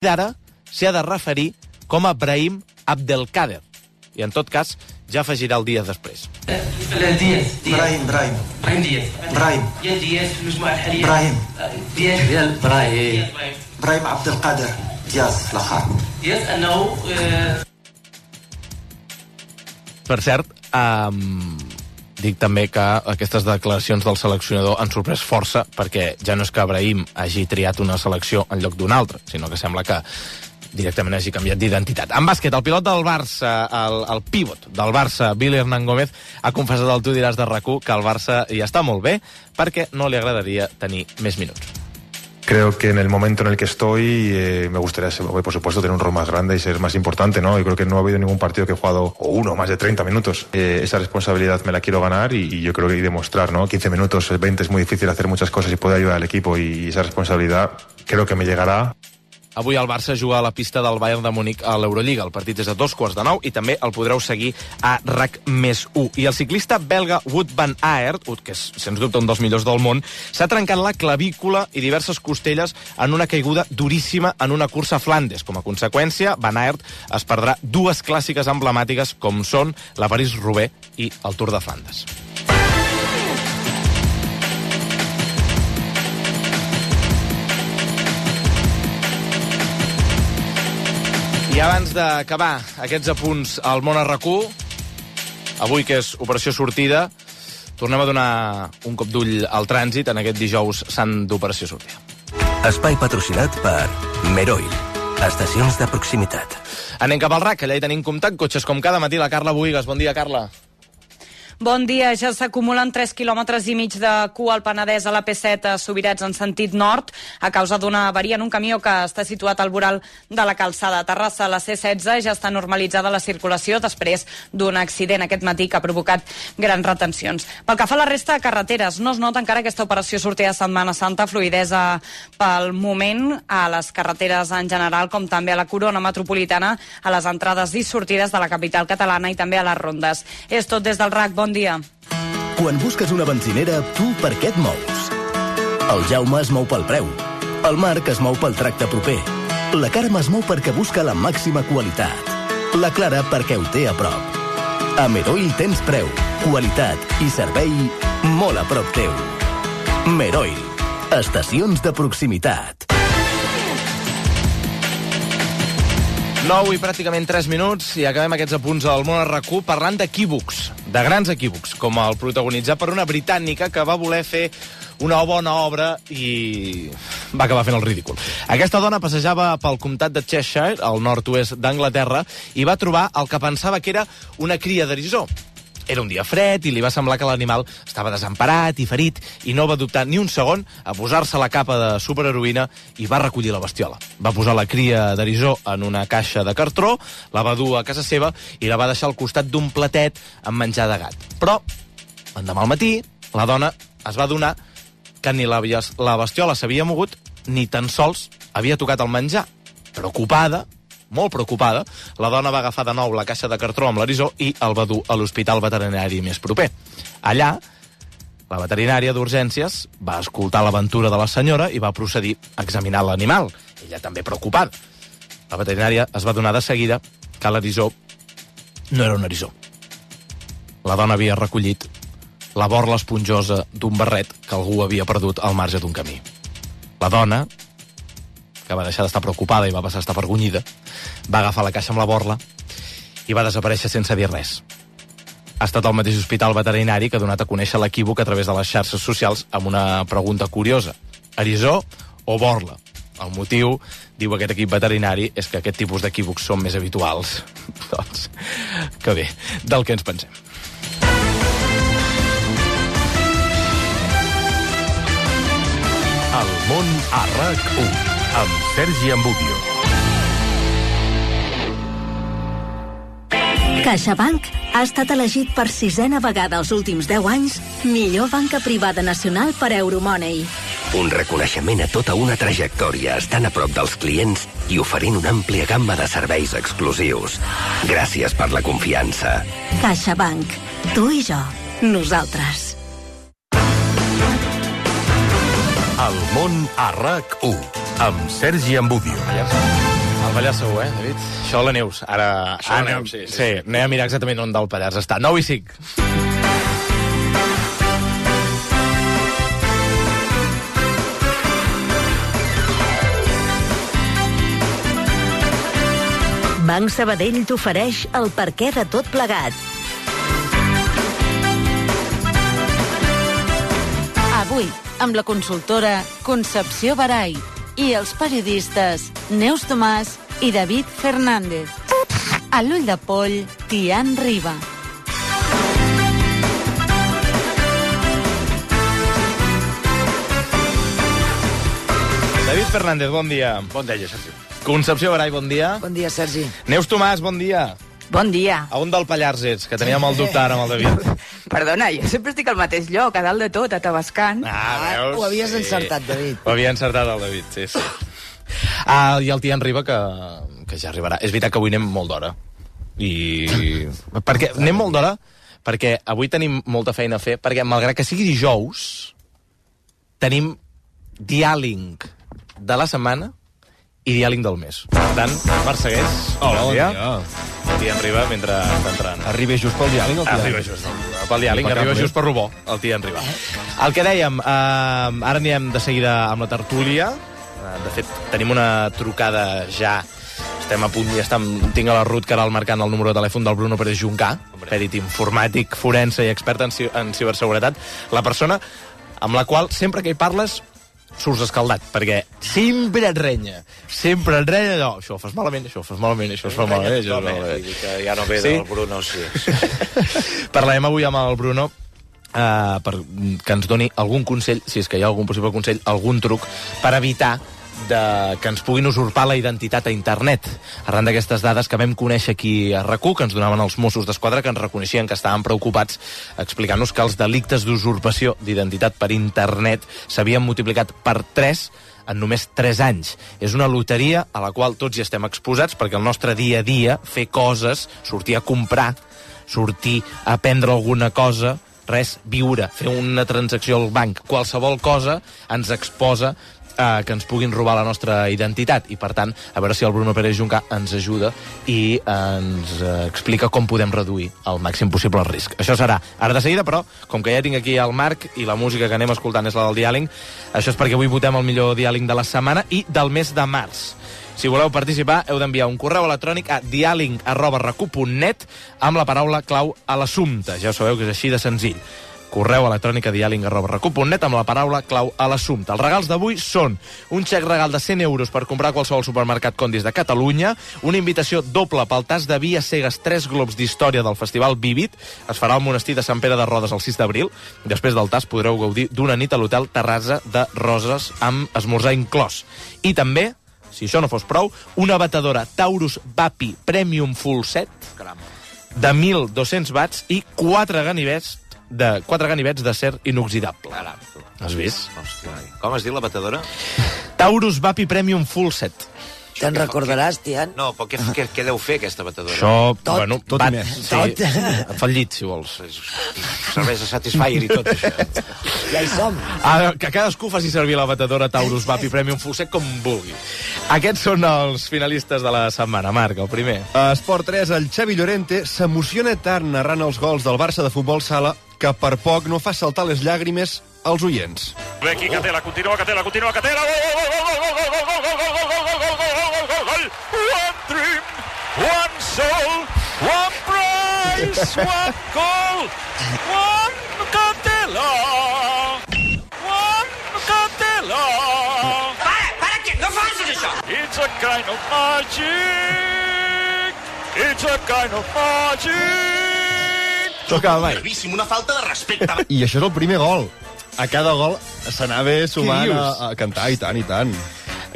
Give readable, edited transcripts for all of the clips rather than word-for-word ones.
d'ara s'hi ha de referir com a Brahim Abdelkader. I, en tot cas, ja afegirà el Díaz després. Brahim Abdelkader Díaz Lahar. Per cert, dic també que aquestes declaracions del seleccionador han sorprès força, perquè ja no és que Brahim hagi triat una selecció en lloc d'una altra, sinó que sembla que directament hagi canviat d'identitat. En bàsquet, el pilot del Barça, el pívot del Barça, Billy Hernán Gómez, ha confessat al Tu diràs de RAC1 que el Barça ja està molt bé perquè no li agradaria tenir més minuts. Creo que en el momento en el que estoy me gustaría, por supuesto, tener un rol más grande y ser más importante, ¿no? Yo creo que no ha habido ningún partido que he jugado más de 30 minutos. Esa responsabilidad me la quiero ganar y yo creo que demostrar, ¿no? 15 minutos, 20 es muy difícil hacer muchas cosas y poder ayudar al equipo, y esa responsabilidad creo que me llegará. Avui el Barça juga a la pista del Bayern de Múnich a l'Eurolliga. El partit és a 8:45 i també el podreu seguir a RAC+1. I el ciclista belga Wout van Aert, que és, sens dubte, un dels millors del món, s'ha trencat la clavícula i diverses costelles en una caiguda duríssima en una cursa a Flandes. Com a conseqüència, Van Aert es perdrà dues clàssiques emblemàtiques com són la París-Roubaix i el Tour de Flandes. I abans d'acabar aquests apunts al món a RAC1, avui que és Operació Sortida, tornem a donar un cop d'ull al trànsit en aquest dijous sant d'Operació Sortida. Espai patrocinat per Meroil, estacions de proximitat. Anem cap al RAC, allà hi tenim comptat cotxes com cada matí. La Carla Boïgues. Bon dia, Carla. Bon dia, ja s'acumulen 3 quilòmetres i mig de cua al Penedès a la P7 a Subirats en sentit nord a causa d'una avaria en un camió que està situat al voral de la calçada. A Terrassa, a la C16, ja està normalitzada la circulació després d'un accident aquest matí que ha provocat grans retencions. Pel que fa a la resta de carreteres, no es nota encara aquesta operació sortida de Setmana Santa, fluïdesa pel moment a les carreteres en general, com també a la corona metropolitana, a les entrades i sortides de la capital catalana i també a les rondes. És tot des del RAC. Bon dia. Quan busques una benzinera, tu per què et mous? El Jaume es mou pel preu. El Marc es mou pel tracte proper. La Carme es mou perquè busca la màxima qualitat. La Clara perquè ho té a prop. A Meroil tens preu, qualitat i servei molt a prop teu. Meroil, estacions de proximitat. 9 i pràcticament 3 minuts i acabem aquests apunts al món a RAC1 parlant d'equívocs, de grans equívocs, com el protagonitzat per una britànica que va voler fer una bona obra i va acabar fent el ridícul. Aquesta dona passejava pel comtat de Cheshire, al nord-oest d'Anglaterra, i va trobar el que pensava que era una cria d'eriçó. Era un dia fred i li va semblar que l'animal estava desemparat i ferit i no va dubtar ni un segon a posar-se la capa de superheroïna i va recollir la bestiola. Va posar la cria d'eriçó en una caixa de cartró, la va dur a casa seva i la va deixar al costat d'un platet amb menjar de gat. Però, l'endemà al matí, la dona es va adonar que ni la bestiola s'havia mogut ni tan sols havia tocat el menjar. Preocupada, molt preocupada, la dona va agafar de nou la caixa de cartró amb l'eriçó i el va dur a l'hospital veterinari més proper. Allà, la veterinària d'urgències va escoltar l'aventura de la senyora i va procedir a examinar l'animal, ella també preocupada. La veterinària es va adonar de seguida que l'eriçó no era un eriçó. La dona havia recollit la borla esponjosa d'un barret que algú havia perdut al marge d'un camí. La dona, que va deixar d'estar preocupada i va passar a estar avergonyida, va agafar la caixa amb la borla i va desaparèixer sense dir res. Ha estat al mateix hospital veterinari que ha donat a conèixer l'equívoc a través de les xarxes socials amb una pregunta curiosa. Eriçó o borla? El motiu, diu aquest equip veterinari, és que aquest tipus d'equívocs són més habituals. Doncs, que bé, del que ens pensem. El món a RAC1 amb Sergi Ambudio. CaixaBank ha estat elegit per 6a vegada els últims 10 anys millor banca privada nacional per Euromoney. Un reconeixement a tota una trajectòria estant a prop dels clients i oferint una àmplia gamma de serveis exclusius. Gràcies per la confiança. CaixaBank. Tu i jo. Nosaltres. El món a RAC1 amb Sergi Ambudio. Pallars segur, David? Això la Neus. Ara... Això la Neus, sí. Anem a mirar exactament on del Pallars està. 9:05. Banc Sabadell t'ofereix el perquè de tot plegat. Avui, amb la consultora Concepció Barai i els periodistes Neus Tomàs i David Fernández. A l'ull de poll, Tian Riba. David Fernández, bon dia. Bon dia, Sergi. Concepció Barai, bon dia. Bon dia, Sergi. Neus Tomàs, bon dia. Bon dia. A on del Pallars ets? Que teníem el dubte ara amb el David. Perdona, jo sempre estic al mateix lloc, a dalt de tot, a Tabascan. Veus? Ho havies encertat, David. Ho havia encertat el David, sí. I el Tian Riba, que ja arribarà. És veritat que avui anem molt d'hora. Perquè anem molt d'hora perquè avui tenim molta feina a fer, perquè malgrat que sigui dijous, tenim diàling de la setmana i diàling del mes. Per tant, Marc Segués, hola, bon dia. El Tian Riba mentre està entrant. Arriba just pel diàling, el Tian? Arriba just pel diàling, arriba just per Rubó, el Tian Riba. El que dèiem, ara anirem de seguida amb la tertúlia. De fet, tenim una trucada ja. Estem a punt, tinc a la Ruth Caral marcant el número de telèfon del Bruno Pérez Juncà, pèrit informàtic, forense i expert en ciberseguretat. La persona amb la qual, sempre que hi parles, surts escaldat, perquè sempre et renya allò, això ho fas malament, això ho fas malament, això es fa malament, això es fa malament. Vull dir que ja no ve del Bruno, sí. Parlarem avui amb el Bruno que ens doni algun consell, si és que hi ha algun possible consell, algun truc per evitar que ens puguin usurpar la identitat a internet. Arran d'aquestes dades que vam conèixer aquí a RAC1, que ens donaven els Mossos d'Esquadra, que ens reconeixien que estaven preocupats explicant-nos que els delictes d'usurpació d'identitat per internet s'havien multiplicat per 3 en només 3 anys. És una loteria a la qual tots hi estem exposats, perquè el nostre dia a dia, fer coses, sortir a comprar, sortir a prendre alguna cosa, res, viure, fer una transacció al banc, qualsevol cosa ens exposa que ens puguin robar la nostra identitat, i per tant, a veure si el Bruno Pérez Juncà ens ajuda i ens explica com podem reduir al màxim possible el risc. Això serà ara de seguida, però com que ja tinc aquí el Marc i la música que anem escoltant és la del diàling, això és perquè avui votem el millor diàling de la setmana i del mes de març. Si voleu participar, heu d'enviar un correu electrònic a dialing@racu.net amb la paraula clau a l'assumpte. Ja ho sabeu que és així de senzill. Correu electrònic a dialing@racu.net amb la paraula clau a l'assumpte. Els regals d'avui són un xec regal de 100 euros per comprar a qualsevol supermercat Condis de Catalunya, una invitació doble pel tas de vi a cegues 3 globs d'història del Festival Vivit, es farà al monestir de Sant Pere de Rodes el 6 d'abril. Després del tas podreu gaudir d'una nit a l'hotel Terrassa de Roses amb esmorzar inclòs. I també, si això no fos prou, una batedora Taurus Vapi Premium Full Set de 1.200 watts i 4 ganivets d'acer inoxidable. Has vist? Hòstia, com es diu la batedora? Taurus Vapi Premium Full Set. Te'n recordaràs, Tian? No, però què deu fer aquesta batedora? Això, tot, bueno, tot i més. Sí, et fa el llit, si vols. Serveix de Satisfyer i tot, això. Ja hi som. Que cadascú faci servir la batedora Taurus Vapi Premium Full Set com vulgui. Aquests són els finalistes de la setmana. Marc, el primer. A Esport 3, el Xavi Llorente s'emociona tant narrant els gols del Barça de futbol sala que per poc no fa saltar les llàgrimes als oients. Ve aquí Catela, continua Catela. Gol, gol, gol, gol, gol. One dream, one soul, one prize, one goal, one Catela. One Catela. Para, que no facis això. It's a kind of magic. It's a kind of magic. Toca, vai. Gravíssim, una falta de respecte. I això és el primer gol. A cada gol s'anava sumant a cantar, i tant, i tant.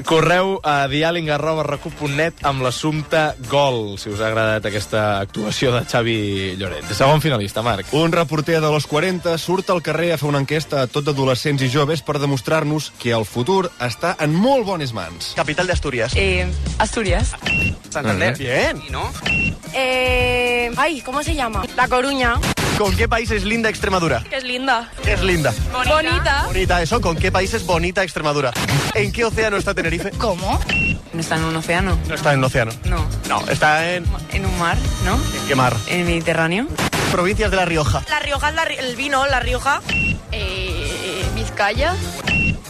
Correu a dialing@racu.net amb l'assumpte gol, si us ha agradat aquesta actuació de Xavi Llorente. Segon finalista, Marc. Un reporter de los 40 surt al carrer a fer una enquesta a tot d'adolescents i joves per demostrar-nos que el futur està en molt bones mans. Capital de Asturias. Asturias. Santander. Bien. ¿Y no? Ay, ¿cómo se llama? La Coruña. ¿Con qué país es linda Extremadura? Que es linda. ¿Qué es linda? Bonita. Bonita, eso. ¿Con qué país es bonita Extremadura? ¿En qué océano está Tenerife? ¿Cómo? No está en un océano. No está en un océano. No. No, está en... En un mar, ¿no? ¿En qué mar? En el Mediterráneo. Provincias de La Rioja. La Rioja es el vino, La Rioja. Vizcaya.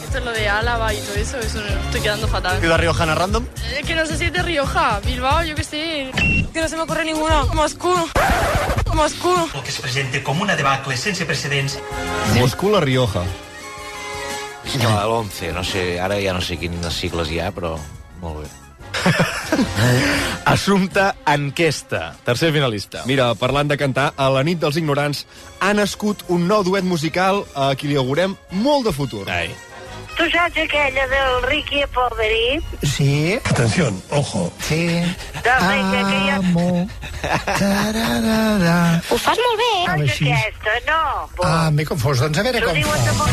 Esto es lo de Álava y todo eso me estoy quedando fatal. ¿Ciudad riojana random? Que no sé si es de Rioja, Bilbao, yo qué sé. Que no se me ocurre ninguno. Moscú. O que se presente com una debacle sense precedents. Moscú, La Rioja. No, l'11, no sé, ara ja no sé quines sigles hi ha, però molt bé. Assumpta Enquesta, tercer finalista. Mira, parlant de cantar, a la nit dels ignorants ha nascut un nou duet musical a qui li augurem molt de futur. Ai. ¿Tú sabes aquella del Ricky Poveri? Sí. Atención, ojo. Sí. Amo. Ho fas molt bé. A No ver és si- aquesta, no. M'he confós. Doncs a veure T'ho com diuen de fa.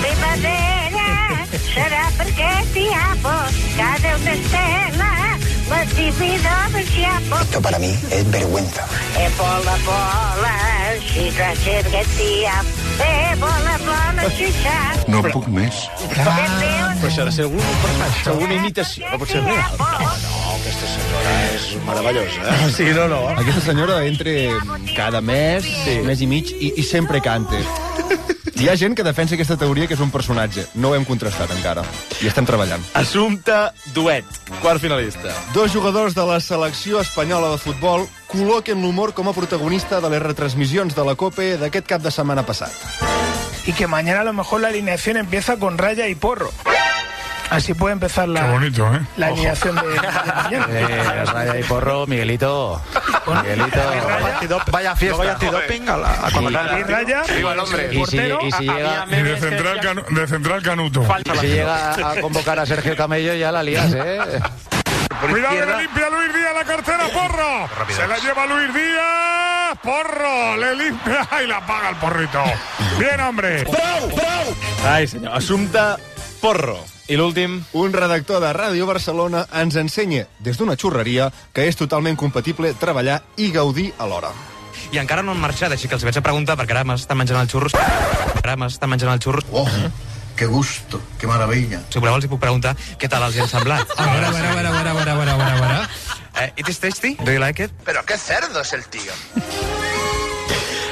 Primavera serà perquè t'hi amo. Cada una estela, la divina del xiapo. Esto para mí es vergüenza. Bola, xixà, perquè t'hi amo. Bola, xixà. No puc més. Però això ha de ser alguna imitació, no pot ser real. No, aquesta senyora és meravellosa. Sí, no. Aquesta senyora entre cada mes, mes i mig, i sempre canta. Hi ha gent que defensa aquesta teoria que és un personatge. No ho hem contrastat encara. I estem treballant. Assumpta Duet, quart finalista. Dos jugadors de la selecció espanyola de futbol col·loquen l'humor com a protagonista de les retransmissions de la COPE d'aquest cap de setmana passat. Y que mañana a lo mejor la alineación empieza con Raya y Porro. Así puede empezar la alineación de mañana. Raya y Porro, Miguelito. Vaya fiesta. Vaya antidoping a convocar. Y Raya, Viva el hombre. Y si llega... Y de central Canuto. Y si llega a convocar a Sergio Camello, ya la lías, ¿eh? Cuidado que le limpia Luis Díaz la cartera, Porro. Se la lleva Luis Díaz. Porro, le limpia y la paga el porrito. Bien, hombre. Ai, senyor. Assumpta Porro. I l'últim? Un redactor de Ràdio Barcelona ens ensenya, des d'una xurreria, que és totalment compatible treballar i gaudir alhora. I encara no han marxat, així que els vaig a preguntar, perquè ara m'estan menjant els xurros. Oh, qué gusto, qué maravilla. Si voleu els hi puc preguntar què tal els hi han semblat. A ver. It is tasty? Do you like it? Pero qué cerdo es el tío.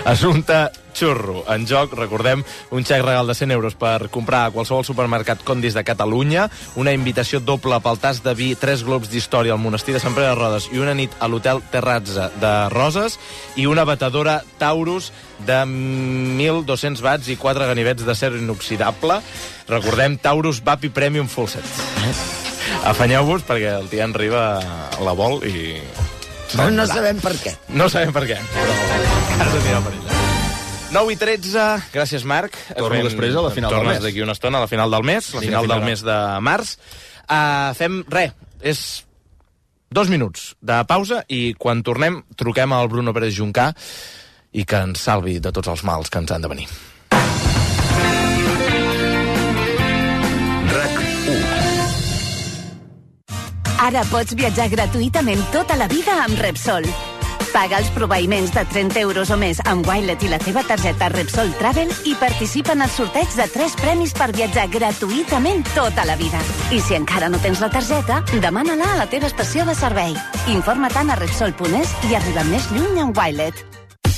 Assumpta Xurro. En joc, recordem, un xec regal de 100 euros per comprar a qualsevol supermercat Condis de Catalunya, una invitació doble pel tas de vi, 3 globs d'història al monestir de Sant Pere de Rodes i una nit a l'hotel Terrazza de Roses i una batedora Taurus de 1.200 watts i 4 ganivets d'acer inoxidable. Recordem, Taurus Vapi Premium Full Set. Afanyeu-vos perquè el Tian Riba la vol i... No sabem per què. No sabem per què, però has de tirar per ella. 9:13, gràcies, Marc. Torno després a la final del mes. Tornes d'aquí una estona a la final del mes, la final del mes de març. Fem res, és 2 minuts de pausa i quan tornem truquem al Bruno Pérez Juncà i que ens salvi de tots els mals que ens han de venir. Ara pots viatjar gratuïtament tota la vida amb Repsol. Paga els proveïments de 30 euros o més amb Wilet i la teva targeta Repsol Travel i participa en el sorteig de 3 premis per viatjar gratuïtament tota la vida. I si encara no tens la targeta, demana-la a la teva estació de servei. Informa-te'n a Repsol.es i arriba més lluny amb Wilet.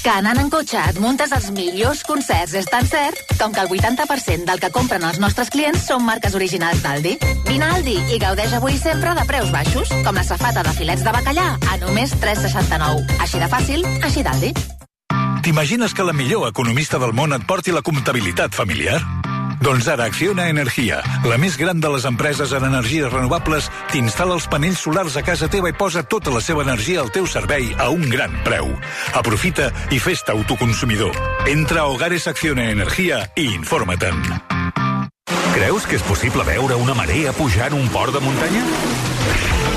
Que anant en cotxe et muntes els millors concerts és tan cert com que el 80% del que compren els nostres clients són marques originals d'Aldi. Vine a Aldi i gaudeix avui sempre de preus baixos, com la safata de filets de bacallà a només 3,69. Així de fàcil, així d'Aldi. T'imagines que la millor economista del món et porti la comptabilitat familiar? Doncs ara Acciona Energia, la més gran de les empreses en energies renovables, t'instal·la els panells solars a casa teva i posa tota la seva energia al teu servei a un gran preu. Aprofita i fes-te autoconsumidor. Entra a Hogares Acciona Energia i informa-te'n. Creus que és possible veure una marea pujar en un port de muntanya?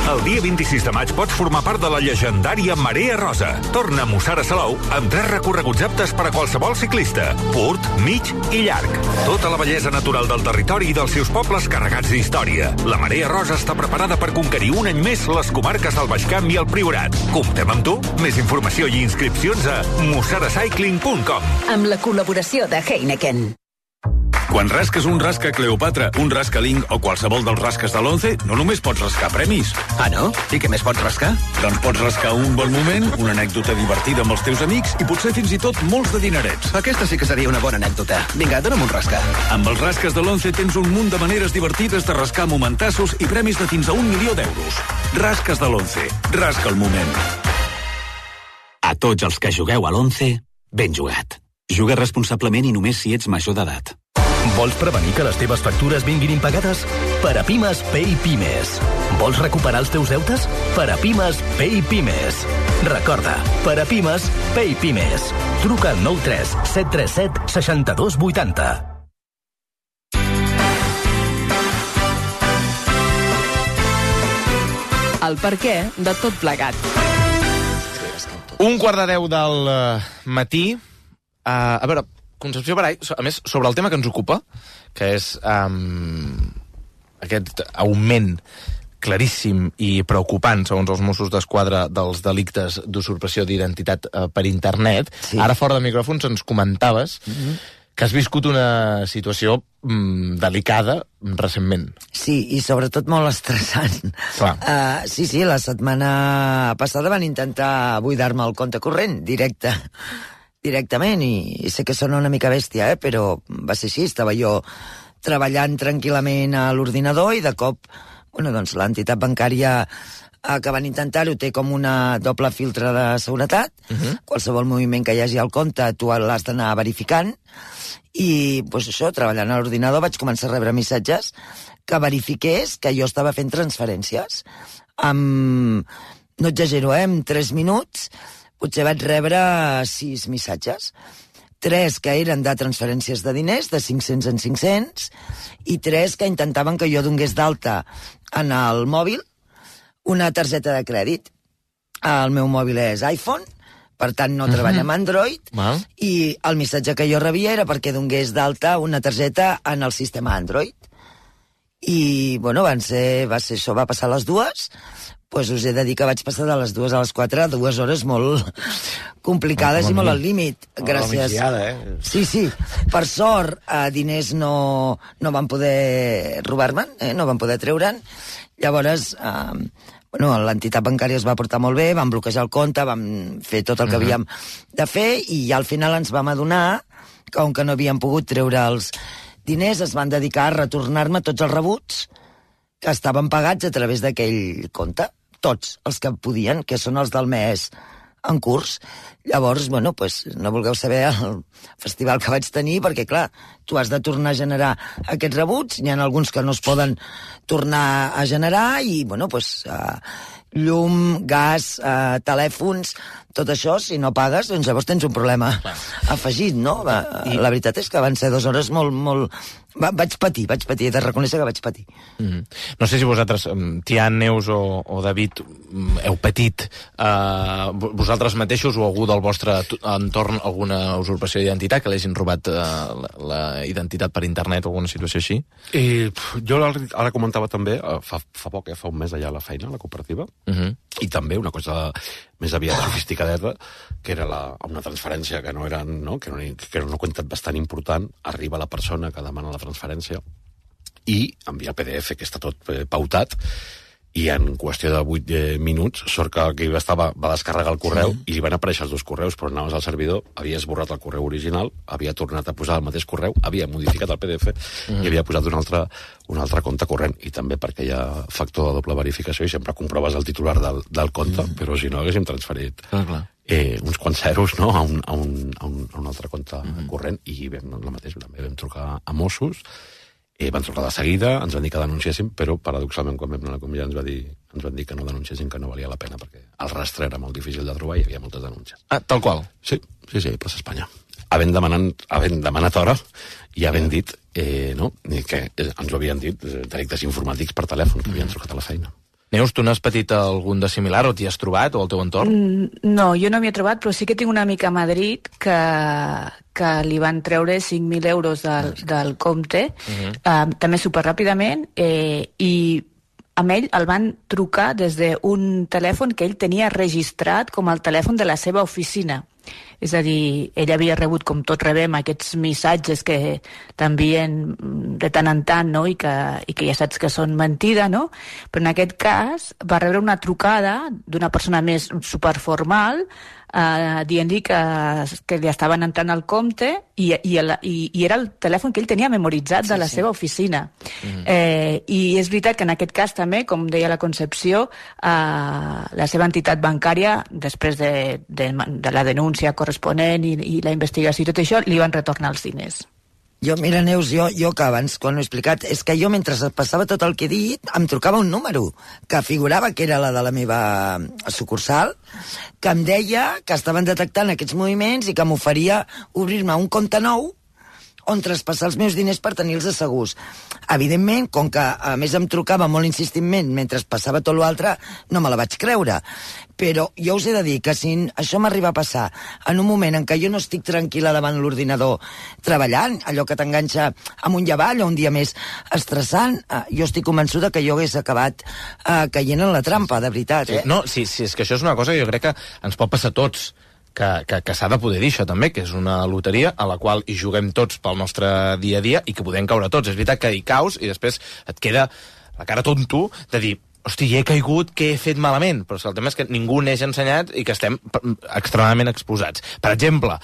El dia 26 de maig pots formar part de la llegendària Marea Rosa. Torna a Mussara Salou amb 3 recorreguts aptes per a qualsevol ciclista, curt, mig i llarg. Tota la bellesa natural del territori i dels seus pobles carregats d'història. La Marea Rosa està preparada per conquerir un any més les comarques del Baix Camp i el Priorat. Comptem amb tu? Més informació i inscripcions a mussaracycling.com. Amb la col·laboració de Heineken. Quan rasques un rasca Cleopatra, un rasca Link o qualsevol dels rasques de l'11, no només pots rascar premis. Ah, no? I què més pots rascar? Doncs pots rascar un bon moment, una anècdota divertida amb els teus amics i potser fins i tot molts de dinerets. Aquesta sí que seria una bona anècdota. Vinga, dona'm un rasca. Amb els rasques de l'11 tens un munt de maneres divertides de rascar momentassos i premis de fins a 1 milió d'euros. Rasques de l'11. Rasca el moment. A tots els que jugueu a l'11, ben jugat. Juga responsablement i només si ets major d'edat. Vols prevenir que les teves factures vinguin impagades? Per a Pimes, Pay Pimes. Vols recuperar els teus deutes? Per a Pimes, Pay Pimes. Recorda, per a Pimes, Pay Pimes. Truca al 93 737 62 80. El perquè de tot plegat. 1:15 del matí. A veure, Concepció Barai, a més, sobre el tema que ens ocupa, que és aquest augment claríssim i preocupant, segons els Mossos d'Esquadra, dels delictes d'usurpació d'identitat per internet. Sí. Ara, fora de micròfons, ens comentaves que has viscut una situació delicada recentment. Sí, i sobretot molt estressant. Sí, la setmana passada van intentar buidar-me el compte corrent directament, i sé que sona una mica bèstia, però va ser així. Estava jo treballant tranquil·lament a l'ordinador i de cop, doncs l'entitat bancària que van intentar-ho té com una doble filtre de seguretat. Qualsevol moviment que hi hagi al compte tu l'has d'anar verificant, i això, treballant a l'ordinador, vaig començar a rebre missatges que verifiqués que jo estava fent transferències. No exagero, en 3 minuts potser vaig rebre 6 missatges. 3 que eren de transferències de diners, de 500 en 500, i 3 que intentaven que jo donés d'alta en el mòbil una targeta de crèdit. El meu mòbil és iPhone, per tant no treballa amb Android, i el missatge que jo rebia era perquè donés d'alta una targeta en el sistema Android. I, va ser això, va passar a les 2, us he de dir que vaig passar de les 2 a les 4, 2 hores molt complicades i molt al límit. Gràcies. Sí. Per sort, diners no van poder robar-me'n, no van poder treure'n. Llavors, l'entitat bancària es va portar molt bé, van bloquejar el compte, vam fer tot el que havíem de fer, i ja al final ens vam adonar que, com que no havien pogut treure els diners, es van dedicar a retornar-me tots els rebuts que estaven pagats a través d'aquell compte. Tots els que podien, que són els del mes en curs. Llavors, no vulgueu saber el festival que vaig tenir, perquè, clar, tu has de tornar a generar aquests rebuts, n'hi ha alguns que no es poden tornar a generar, i, llum, gas, telèfons, tot això, si no pagues, doncs llavors tens un problema afegit, no? La veritat és que van ser 2 hores molt... Vaig patir, he de reconèixer que vaig patir. No sé si vosaltres, Tian, Neus o David, heu patit vosaltres mateixos o algú del vostre entorn alguna usurpació d'identitat, que l'hagin robat la identitat per internet o alguna situació així? Jo ara comentava també, fa poc, fa un mes allà a la feina, a la cooperativa, i també una cosa més aviat sofisticadeta, que era una transferència que no era una quantitat bastant important, arriba la persona que demana la transferència i envia el PDF, que està tot pautat, i en qüestió de 8 minuts sort que aquell va descarregar el correu i li van aparèixer els 2 correus, però anaves al servidor, havia esborrat el correu original, havia tornat a posar el mateix correu, havia modificat el PDF i havia posat un altre compte corrent, i també perquè hi ha factor de doble verificació i sempre comproves el titular del compte, però si no haguéssim transferit uns quants zeros, no?, a un altre compte corrent, i també vam trucar a Mossos. Van trucar de seguida, ens van dir que denunciéssim, però paradoxalment quan vam anar a la comissaria ens van dir que no denunciéssim, que no valia la pena, perquè el rastre era molt difícil de trobar i hi havia moltes denúncies. Tal qual? Sí, plaça Espanya. Havent demanat hora i havent dit que ens ho havien dit delictes informàtics per telèfon, que havien trucat a la feina. Neus, tu n'has patit algun de similar o t'hi has trobat, o al teu entorn? No, jo no m'hi he trobat, però sí que tinc una amiga a Madrid que li van treure 5.000 euros del compte, també superràpidament, i amb ell el van trucar des d'un telèfon que ell tenia registrat com el telèfon de la seva oficina. És a dir, ell havia rebut, com tots rebem, aquests missatges que t'envien de tant en tant, no? I que ja saps que són mentida, no? Però en aquest cas va rebre una trucada d'una persona més superformal dient-li que li estaven entrant al compte i era el telèfon que ell tenia memoritzat de la seva oficina. I és veritat que en aquest cas també, com deia la Concepció, la seva entitat bancària, després de la denúncia corresponent i la investigació i tot això, li van retornar els diners. Jo, mira, Neus, jo que abans, quan ho he explicat, és que jo, mentre passava tot el que he dit, em trucava un número que figurava que era la de la meva sucursal, que em deia que estaven detectant aquests moviments i que m'oferia obrir-me un compte nou on traspassar els meus diners per tenir-los assegurs. Evidentment, com que a més em trucava molt insistentment mentre passava tot l'altre, no me la vaig creure. Però jo us he de dir que si això m'arriba a passar en un moment en què jo no estic tranquil·la davant l'ordinador treballant, allò que t'enganxa amunt i avall o un dia més estressant, jo estic convençuda que jo hagués acabat caient en la trampa, de veritat. No, sí, és que això és una cosa que jo crec que ens pot passar a tots, que s'ha de poder dir això també, que és una loteria a la qual hi juguem tots pel nostre dia a dia i que podem caure tots. És veritat que hi caus i després et queda la cara tonto de dir, hosti, he caigut, què he fet malament? Però el tema és que ningú n'és ensenyat i que estem extremadament exposats. Per exemple,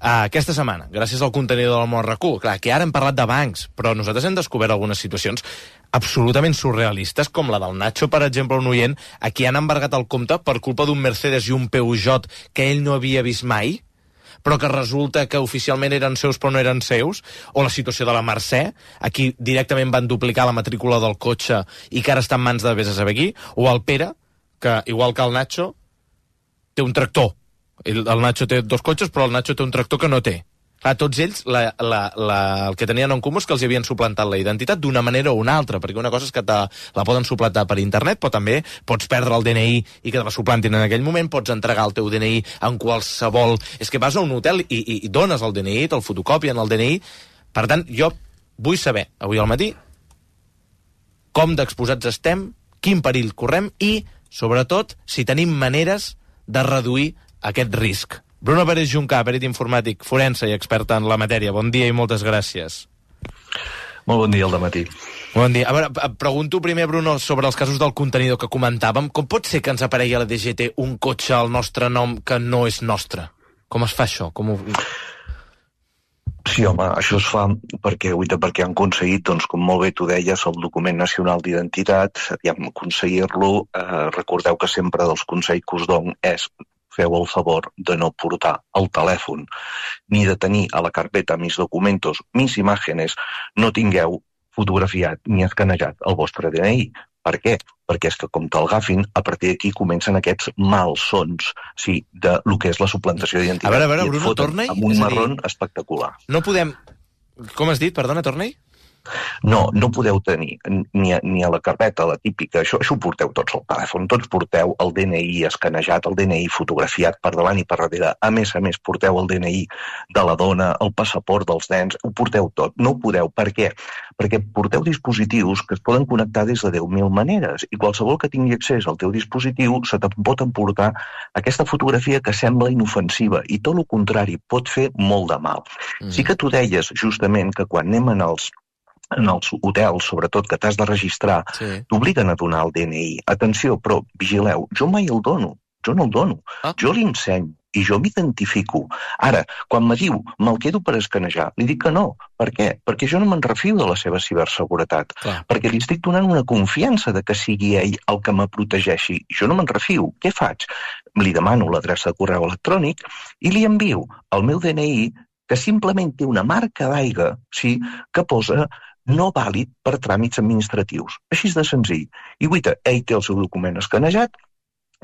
aquesta setmana, gràcies al contenidor del Món RAC1, clar, que ara hem parlat de bancs, però nosaltres hem descobert algunes situacions absolutament surrealistes, com la del Nacho, per exemple, un oient, a qui han embargat el compte per culpa d'un Mercedes i un Peugeot que ell no havia vist mai, però que resulta que oficialment eren seus però no eren seus, o la situació de la Mercè, a qui directament van duplicar la matrícula del cotxe i que ara està en mans de vés a saber qui, o el Pere, que, igual que el Nacho, té un tractor. El Nacho té 2 cotxes, però el Nacho té un tractor que no té. Clar, tots ells, el que tenien en comú és que els havien suplantat la identitat d'una manera o una altra, perquè una cosa és que la poden suplantar per internet, però també pots perdre el DNI i que te la suplantin en aquell moment, pots entregar el teu DNI en qualsevol... És que vas a un hotel i dones el DNI, te'l fotocopien el DNI. Per tant, jo vull saber, avui al matí, com d'exposats estem, quin perill correm i, sobretot, si tenim maneres de reduir aquest risc. Bruno Pérez Juncà, perit informàtic, forense i experta en la matèria. Bon dia i moltes gràcies. Molt bon dia al dematí. Bon dia. A veure, pregunto primer, Bruno, sobre els casos del contenidor que comentàvem. Com pot ser que ens aparegui a la DGT un cotxe al nostre nom que no és nostre? Com es fa això? Sí, home, això es fa perquè han aconseguit, doncs, com molt bé tu deies, el document nacional d'identitat, aconseguir-lo, recordeu que sempre dels consells que us dono és feu el favor de no portar el telèfon, ni de tenir a la carpeta mis documentos, mis imágenes, no tingueu fotografiat ni escanejat el vostre DNI. Per què? Perquè és que com te'l agafin, a partir d'aquí comencen aquests malsons, sí, de lo que és la suplantació d'identitat. A veure, Bruno, torna-hi. Amb un marrón espectacular. No podem... Com has dit? Perdona, torna-hi. No podeu tenir ni a la carpeta, la típica, això ho porteu tots al telèfon, tots porteu el DNI escanejat, el DNI fotografiat per davant i per darrere, a més, porteu el DNI de la dona, el passaport dels nens, ho porteu tot, no ho podeu, per què? Perquè porteu dispositius que es poden connectar des de 10.000 maneres i qualsevol que tingui accés al teu dispositiu se te pot emportar aquesta fotografia que sembla inofensiva i tot el contrari, pot fer molt de mal. Sí que tu deies justament que quan anem en els hotels, sobretot, que t'has de registrar, t'obliguen a donar el DNI. Atenció, però vigileu, jo mai el dono, jo no el dono, jo l'ensenyo i jo m'identifico. Ara, quan me diu, me'l quedo per escanejar, li dic que no. Per què? Perquè jo no me'n refio de la seva ciberseguretat, perquè li estic donant una confiança de que sigui ell el que me protegeixi. Jo no me'n refio. Què faig? Li demano l'adreça de correu electrònic i li envio el meu DNI, que simplement té una marca d'aigua, sí, que posa no vàlid per tràmits administratius. Així de senzill. I guaita, ell té el seu document escanejat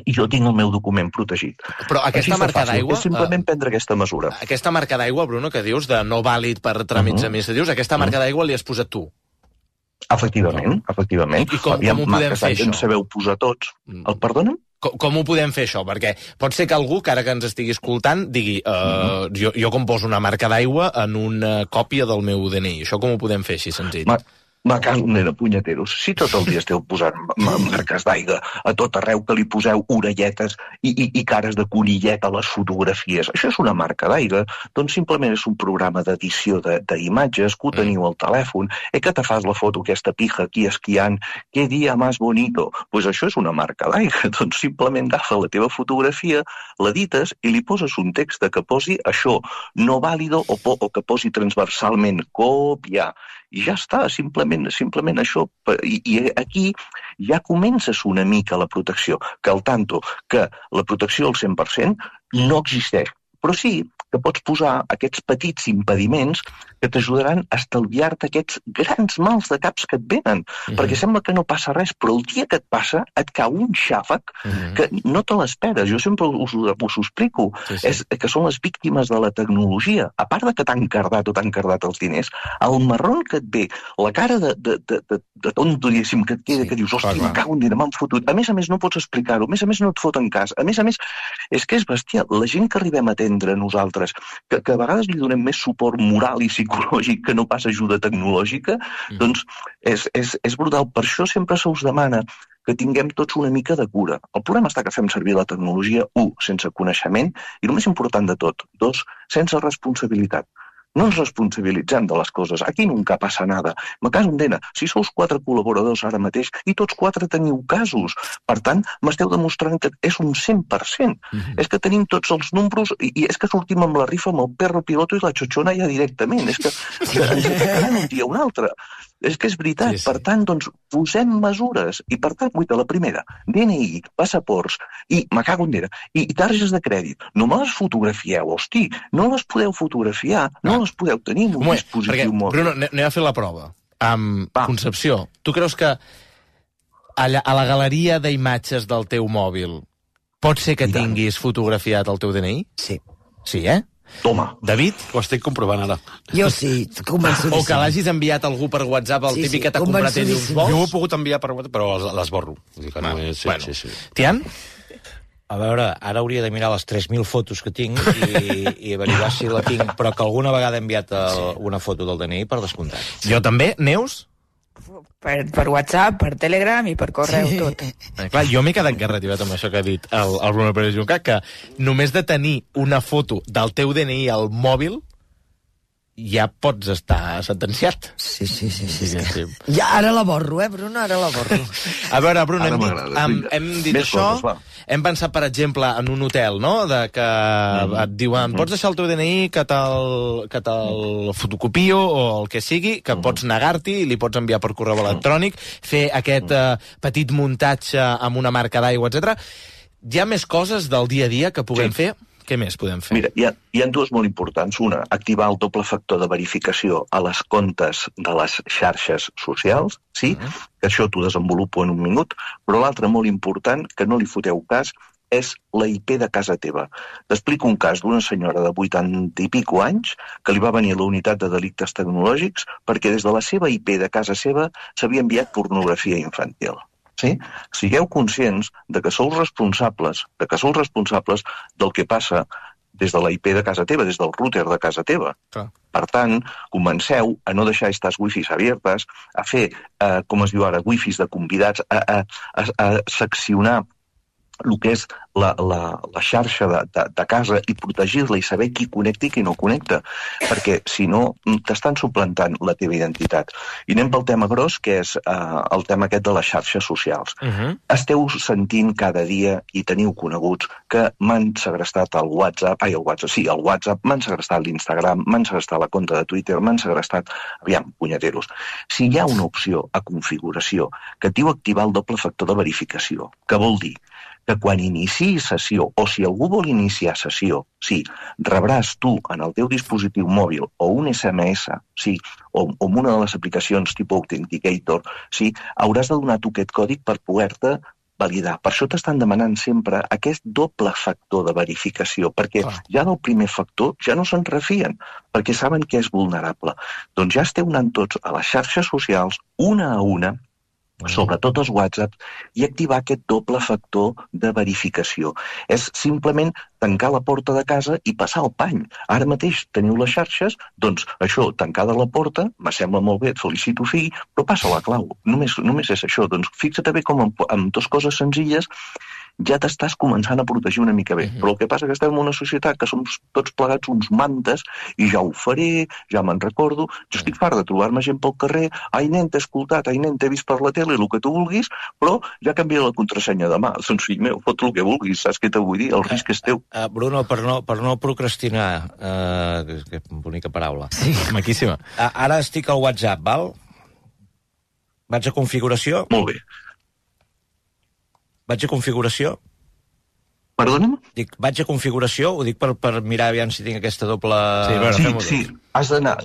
i jo tinc el meu document protegit. Però aquesta marca d'aigua... És simplement prendre aquesta mesura. Aquesta marca d'aigua, Bruno, que dius de no vàlid per tràmits administratius, aquesta marca d'aigua li has posat tu? Efectivament. I com ho podem fer, això? En sabeu posar tots. El perdonen? Com ho podem fer, això? Perquè pot ser que algú, que ara que ens estigui escoltant, digui jo com poso una marca d'aigua en una còpia del meu DNI. Això com ho podem fer, així senzill? nena, punyeteros, si tot el dia esteu posant marques d'aigua a tot arreu, que li poseu orelletes i cares de conillet a les fotografies, això és una marca d'aigua, doncs simplement és un programa d'edició d'imatges que ho teniu al telèfon, que te fas la foto aquesta pija aquí esquiant, que dia més bonito, doncs això és una marca d'aigua, doncs simplement agafa la teva fotografia, l'edites i li poses un text que posi això, no vàlido, o que posi transversalment, copiar, i ja està, simplement això. I aquí ja comences una mica la protecció, que al tanto que la protecció al 100% no existeix, però sí que pots posar aquests petits impediments que t'ajudaran a estalviar-te aquests grans mals de caps que et venen, perquè sembla que no passa res, però el dia que et passa et cau un xàfec que no te l'esperes. Jo sempre us ho explico, és que són les víctimes de la tecnologia. A part de que t'han cardat o t'han cardat els diners, el marron que et ve, la cara de tonto, diguéssim, que et queda, que dius, hòstia, me cago en dir, m'han fotut. A més, no pots explicar-ho, a més, no et foten cas. A més, és que és bestial. La gent que arribem a atendre nosaltres, que a vegades li donem més suport moral i psicològic que no pas ajuda tecnològica, doncs és brutal. Per això sempre se us demana que tinguem tots una mica de cura. El problema està que fem servir la tecnologia, 1, sense coneixement, i el més important de tot, 2, sense responsabilitat. No ens responsabilitzem de les coses. Aquí nunca passa nada. Me caso en dena. Si sous 4 col·laboradors ara mateix i tots 4 teniu casos, per tant, m'esteu demostrant que és un 100%. És que tenim tots els números i és que sortim amb la rifa amb el perro piloto i la xochona ja directament. És que ens encarem un dia o un altre. És que és veritat. Per tant, doncs, posem mesures. I per tant, la primera, DNI, passaports, i me cago en dena, i targes de crèdit. No me les fotografieu, hosti. No les podeu fotografiar, no les podeu tenir en un dispositiu mòbil. Bruno, anem a fer la prova. Concepció, tu creus que a la galeria d'imatges del teu mòbil pot ser que tinguis fotografiat el teu DNI? Sí. Sí, Toma. David? Ho estic comprovant ara. Jo sí, convençudíssim. O que l'hagis enviat a algú per WhatsApp, el típic que t'ha comprat ell uns vols? Jo ho he pogut enviar per WhatsApp, però l'esborro. Sí. Tian? A veure, ara hauria de mirar les 3.000 fotos que tinc i averiguar si la tinc, però que alguna vegada he enviat una foto del DNI per descomptat. Jo també. Neus? Per WhatsApp, per Telegram i per correu, tot. Clar, jo m'he quedat garrativat amb això que ha dit el Bruno Pérez Junca, que només de tenir una foto del teu DNI al mòbil ja pots estar sentenciat. Sí. Ja, ara la borro, Bruno, ara la borro. A veure, Bruno, hem dit això, hem pensat, per exemple, en un hotel, no?, de que et diuen, pots deixar el teu DNI que te'l fotocopio o el que sigui, que pots negar-t'hi i li pots enviar per correu electrònic, fer aquest petit muntatge amb una marca d'aigua, etc. Hi ha més coses del dia a dia que puguem fer? Què més podem fer? Mira, hi ha dues molt importants. Una, activar el doble factor de verificació a les comptes de les xarxes socials, sí? Que això t'ho desenvolupo en un minut. Però l'altra, molt important, que no li foteu cas, és la IP de casa teva. T'explico un cas d'una senyora de 80 i pico anys que li va venir a la unitat de delictes tecnològics perquè des de la seva IP de casa seva s'havia enviat pornografia infantil. Sí? Sigueu conscients de que sou responsables del que passa des de la IP de casa teva, des del router de casa teva. Per tant, comenceu a no deixar aquestes wifis abiertes, a fer, com es diu ara, wifis de convidats, a seccionar el que és la xarxa de casa i protegir-la i saber qui connecta i qui no connecta, perquè si no t'estan suplantant la teva identitat. I anem pel tema gros, que és el tema aquest de les xarxes socials. Esteu sentint cada dia i teniu coneguts que m'han segrestat el WhatsApp, m'han segrestat l'Instagram, m'han segrestat la compte de Twitter, m'han segrestat... Aviam, punyeteros. Si hi ha una opció a configuració que et diu activar el doble factor de verificació, que vol dir que quan iniciï sessió, o si algú vol iniciar sessió, sí, rebràs tu en el teu dispositiu mòbil o un SMS, sí, o una de les aplicacions tipus Authenticator, sí, hauràs de donar tu aquest còdig per poder-te validar. Per això t'estan demanant sempre aquest doble factor de verificació, perquè ja del primer factor ja no se'n refien, perquè saben que és vulnerable. Doncs ja esteu anant tots a les xarxes socials, una a una, sobretot els WhatsApp, i activar aquest doble factor de verificació. És simplement tancar la porta de casa i passar el pany. Ara mateix teniu les xarxes, doncs això, tancada la porta, me sembla molt bé, et felicito, fill, però passa la clau. Només és això. Doncs fixa't bé com amb dues coses senzilles ja t'estàs començant a protegir una mica bé. Però el que passa és que estem en una societat que som tots plegats uns mantes, i ja ho faré, ja me'n recordo, jo estic fart de trobar-me gent pel carrer, ai nen, t'he escoltat, ai nen, t'he vist per la tele, el que tu vulguis, però ja canvia la contrasenya demà. Doncs fill meu, fot el que vulguis, saps què t'ho vull dir? El risc és teu. Bruno, per no procrastinar, que bonica paraula. Sí, maquíssima. Ara estic al WhatsApp, val? Vaig a configuració. Molt bé. Vaig a configuració. Perdona'm? Dic, vaig a configuració, ho dic per mirar aviam si tinc aquesta doble... Sí.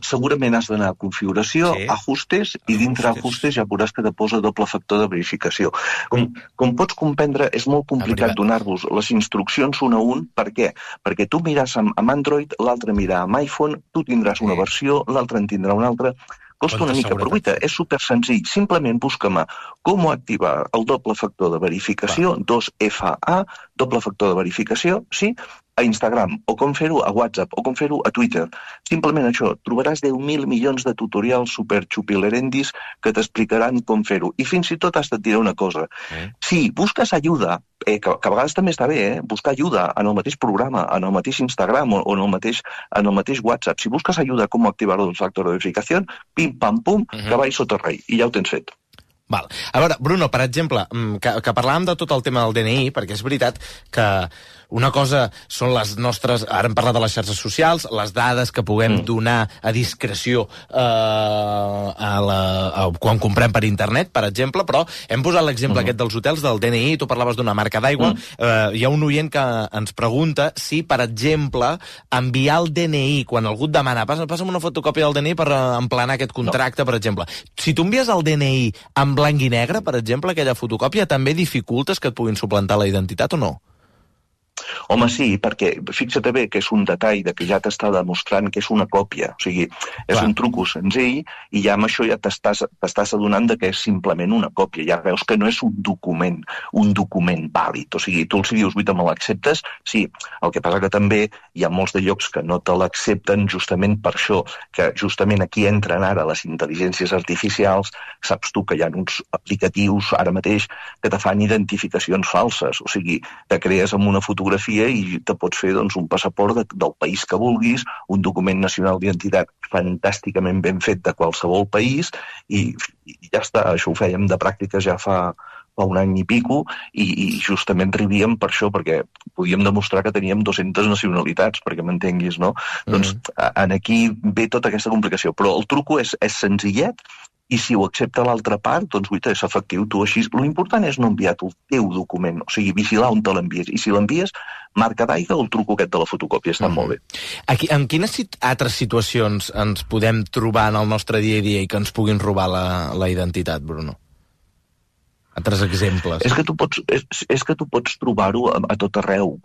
Segurament has d'anar a configuració, ajustes, i dintre ajustes ja veuràs que te posa doble factor de verificació. Com pots comprendre, és molt complicat donar-vos les instruccions un a un. Per què? Perquè tu miràs amb Android, l'altre mirà amb iPhone, tu tindràs una versió, l'altre en tindrà una altra. Costa una mica, però guaita, és super senzill. Simplement busca-me com activar el doble factor de verificació, 2FA, doble factor de verificació, sí, a Instagram, o com fer-ho a WhatsApp, o com fer-ho a Twitter. Simplement això, trobaràs 10.000 milions de tutorials super xupilerendis que t'explicaran com fer-ho. I fins i tot has de dir una cosa. Si busques ajuda, que a vegades també està bé, buscar ajuda en el mateix programa, en el mateix Instagram o en el mateix WhatsApp. Si busques ajuda com activar el factor de verificació, pim, pam, pum, cavall sota rei, i ja ho tens fet. Val. A veure, Bruno, per exemple, que parlàvem de tot el tema del DNI, perquè és veritat que una cosa són les nostres... Ara hem parlat de les xarxes socials, les dades que puguem donar a discreció quan comprem per internet, per exemple, però hem posat l'exemple aquest dels hotels, del DNI, tu parlaves d'una marca d'aigua, hi ha un oient que ens pregunta si, per exemple, enviar el DNI, quan algú et demana, passa'm una fotocòpia del DNI per emplenar aquest contracte, per exemple. Si tu envies el DNI en blanc i negre, per exemple, aquella fotocòpia, també dificultes que et puguin suplantar la identitat o no? Home, sí, perquè fixa't bé que és un detall de que ja t'està demostrant que és una còpia. O sigui, és un truco senzill i ja amb això ja t'estàs adonant de que és simplement una còpia. Ja veus que no és un document vàlid. O sigui, tu els dius, me l'acceptes? Sí, el que passa que també hi ha molts de llocs que no te l'accepten justament per això, que justament aquí entren ara les intel·ligències artificials. Saps tu que hi ha uns aplicatius ara mateix que te fan identificacions falses. O sigui, te crees amb una fotografia i te pots fer un passaport del país que vulguis, un document nacional d'identitat fantàsticament ben fet de qualsevol país i ja està, això ho fèiem de pràctiques ja fa un any i pico i justament rivíem per això, perquè podíem demostrar que teníem 200 nacionalitats, perquè m'entenguis, no? Doncs aquí ve tota aquesta complicació, però el truco és senzillet. I si ho accepta l'altra part, doncs, guaita, és efectiu, tu així. L'important és no enviar el teu document, o sigui, vigilar on te l'envies. I si l'envies, marca d'aigua o el truco aquest de la fotocòpia, està molt bé. En quines altres situacions ens podem trobar en el nostre dia a dia i que ens puguin robar la identitat, Bruno? Altres exemples. És que tu pots trobar-ho a tot arreu.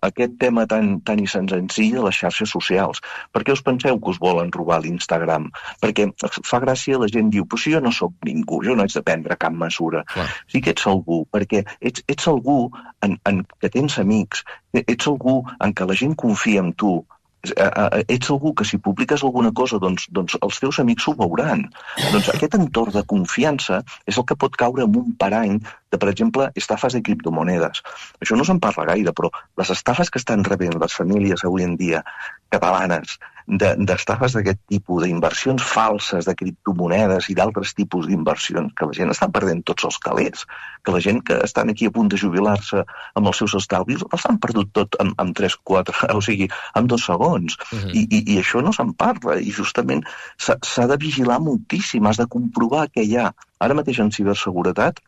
Aquest tema tan i senzill de les xarxes socials. Per què us penseu que us volen robar l'Instagram? Perquè fa gràcia, la gent diu, però si jo no sóc ningú, jo no haig de prendre cap mesura. Sí que ets algú, perquè ets algú en que tens amics, ets algú en què la gent confia en tu, ets algú que si publiques alguna cosa doncs els teus amics ho veuran. Doncs aquest entorn de confiança és el que pot caure en un parany de, per exemple, estafes de criptomonedes. Això no se'n parla gaire, però les estafes que estan rebent les famílies avui en dia catalanes d'estafes d'aquest tipus, d'inversions falses de criptomonedes i d'altres tipus d'inversions, que la gent està perdent tots els calés, que la gent que estan aquí a punt de jubilar-se amb els seus estalvis els han perdut tot amb 3-4, o sigui, en 2 segons. I això no se'n parla, i justament s'ha de vigilar moltíssim, has de comprovar què hi ha. Ara mateix en ciberseguretat,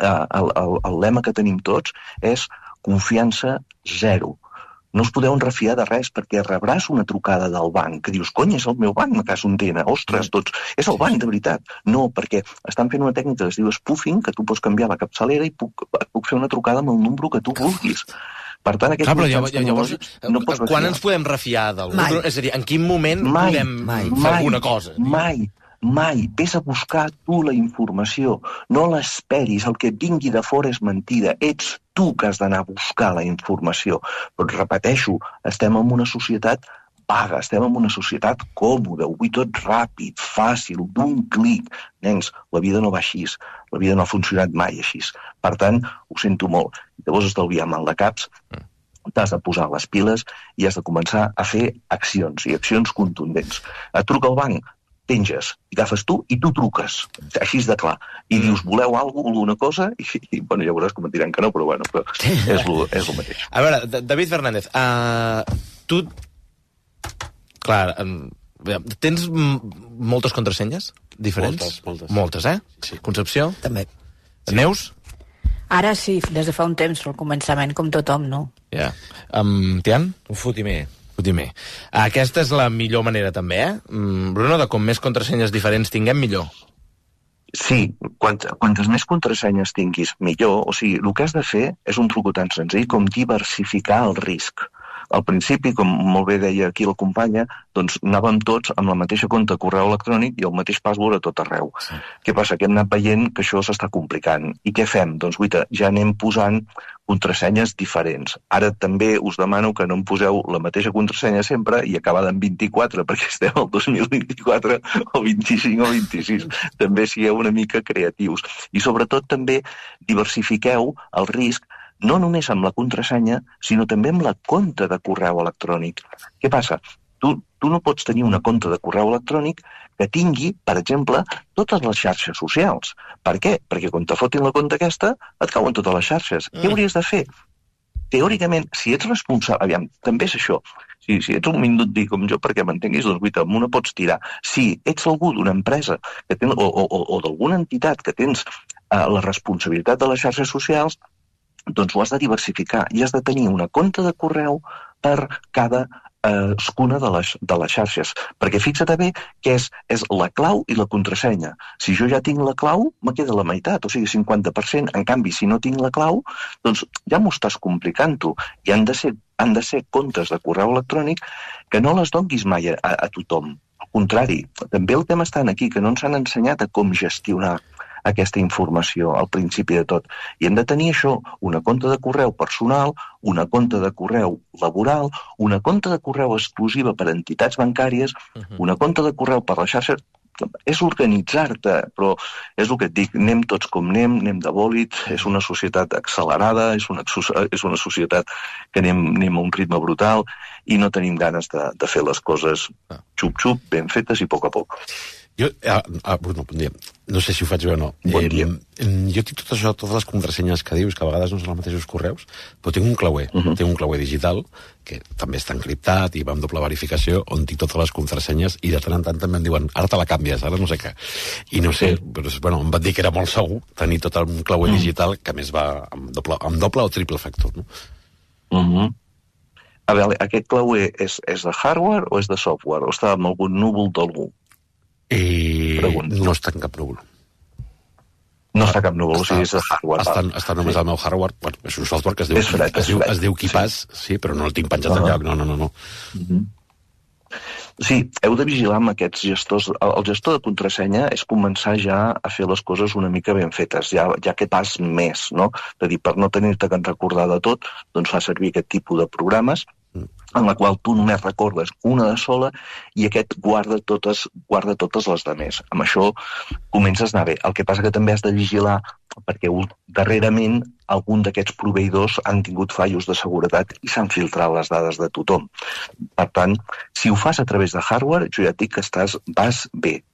el lema que tenim tots és confiança zero. No us podeu refiar de res perquè rebràs una trucada del banc que dius, cony, és el meu banc, me cas un tena, ostres, doncs, és el banc de veritat. No, perquè estan fent una tècnica que es diu spoofing, que tu pots canviar la capçalera i puc fer una trucada amb el número que tu vulguis. Per tant, aquests mitjans tecnològics no pots refiar. Quan ens podem refiar d'algú? És a dir, en quin moment podem fer alguna cosa? Mai. mai. Ves a buscar tu la informació. No l'esperis. El que et vingui de fora és mentida. Ets tu que has d'anar a buscar la informació. Però et repeteixo, estem en una societat vaga, estem en una societat còmoda, ho vull tot ràpid, fàcil, d'un clic. Nens, la vida no va així. La vida no ha funcionat mai així. Per tant, ho sento molt. Llavors estalviar mal de caps, t'has de posar les piles i has de començar a fer accions, i accions contundents. Et truca al banc, penges, i agafes tu i tu truques, així de clar. I dius, voleu alguna cosa? I bueno, ja veuràs com et diran que no, però bueno, però és el mateix. A veure, David Fernández, tu... Clar, tens moltes contrasenyes diferents? Moltes, eh? Sí. Concepció? També. Neus? Ara sí, des de fa un temps, al començament, com tothom, no? Ja. Tian? Un fotimer. Aquesta és la millor manera, també, eh? Bruno, de com més contrasenyes diferents tinguem, millor. Sí, quantes més contrasenyes tinguis, millor. O sigui, el que has de fer és un truc tan senzill com diversificar el risc. Al principi, com molt bé deia aquí la companya, doncs anàvem tots amb la mateixa compte de correu electrònic i el mateix password a tot arreu. Sí. Què passa? Que hem anat veient que això s'està complicant. I què fem? Doncs, guaita, ja anem posant contrasenyes diferents. Ara també us demano que no em poseu la mateixa contrasenya sempre i acabada en 24, perquè estem al 2024 o 25 o 26. També sigueu una mica creatius. I sobretot també diversifiqueu el risc no només amb la contrasenya, sinó també amb la compte de correu electrònic. Què passa? Tu no pots tenir una compte de correu electrònic que tingui, per exemple, totes les xarxes socials. Per què? Perquè quan te fotin la compte aquesta, et cauen totes les xarxes. Què hauries de fer? Teòricament, si ets responsable... Aviam, també és això. Si ets un minduti com jo, perquè m'entenguis, doncs, guaita, amb una pots tirar. Si ets algú d'una empresa que ten, o d'alguna entitat que tens la responsabilitat de les xarxes socials, doncs ho has de diversificar i has de tenir una compte de correu per cada cadascuna de les xarxes. Perquè fixa't bé que és la clau i la contrasenya. Si jo ja tinc la clau, me queda la meitat, o sigui, 50%. En canvi, si no tinc la clau, doncs ja m'ho estàs complicant tu. I han de ser comptes de correu electrònic que no les donguis mai a tothom. Al contrari, també el tema està aquí, que no ens han ensenyat a com gestionar aquesta informació al principi de tot. I hem de tenir això, una compte de correu personal, una compte de correu laboral, una compte de correu exclusiva per a entitats bancàries, una compte de correu per les xarxes. És organitzar-te, però és el que et dic, anem tots com anem de bòlit, és una societat accelerada, és una societat que anem a un ritme brutal i no tenim ganes de fer les coses xup-xup, ben fetes i a poc a poc. Jo, Bruno, bon dia. No sé si ho faig bé o no. Bon dia. Jo tinc tot això, totes les contrasenyes que dius, que a vegades no són els mateixos correus, però tinc un clauer, tinc un clauer digital, que també està encriptat i va amb doble verificació, on tinc totes les contrasenyes, i de tant en tant també em diuen, ara te la canvies, ara no sé què. I no sé, però, bueno, em van dir que era molt segur tenir tot un clauer digital, que a més va amb doble o triple factor, no? A veure, aquest clauer és de hardware o és de software? O està en algun núvol d'algú? No està en cap núvol. No està cap núvol, o sigui, és de hardware. Està només al meu hardware. Bueno, és un software que es diu KeePass, sí, però no el tinc penjat enlloc. No. Sí, heu de vigilar amb aquests gestors. El gestor de contrasenya és començar ja a fer les coses una mica ben fetes, ja que pas més, no? És a dir, per no tenir-te que recordar de tot, doncs fa servir aquest tipus de programes en la qual tu només recordes una de sola i aquest guarda totes les demés. Amb això comences a anar bé. El que passa que també has de vigilar perquè darrerament algun d'aquests proveïdors han tingut fallos de seguretat i s'han filtrat les dades de tothom. Per tant, si ho fas a través de hardware, jo ja et dic que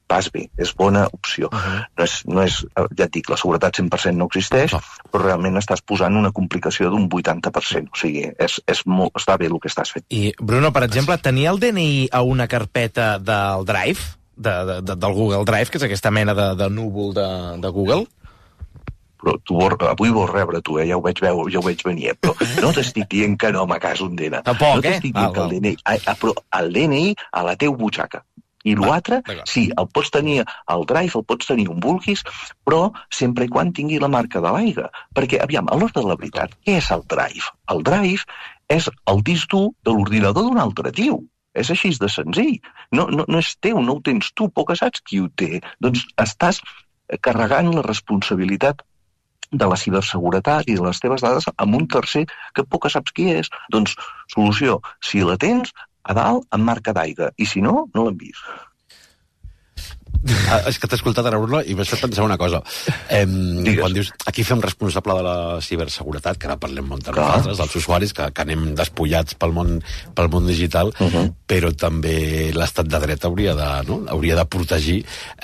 vas bé, és bona opció. No és, ja et dic, la seguretat 100% no existeix, però realment estàs posant una complicació d'un 80%. O sigui, està bé el que estàs fent. I, Bruno, per exemple, tenir el DNI a una carpeta del Drive, del Google Drive, que és aquesta mena de núvol de Google? Però avui vols rebre tu, ja ho veig venir, però no t'estic dient que no me cas un DNI. Tampoc, no t'estic dient que el DNI... Però el DNI a la teva butxaca. I l'altre, sí, el pots tenir al Drive, el pots tenir on vulguis, però sempre i quan tingui la marca de l'aigua. Perquè, aviam, a l'hora de la veritat, què és el Drive? El Drive és el disc dur de l'ordinador d'un altre tio. És així de senzill. No és teu, no ho tens tu, poc saps qui ho té. Doncs estàs carregant la responsabilitat de la ciberseguretat i de les teves dades amb un tercer que poc saps qui és. Doncs, solució, si la tens, a dalt, amb marca d'aigua, i si no, no l'envies. És que t'he escoltat ara, Bruno, i m'has fet pensar una cosa. Quan dius, aquí fem responsable de la ciberseguretat, que ara parlem molt de nosaltres, dels usuaris, que anem despullats pel món digital, però també l'estat de dret hauria de protegir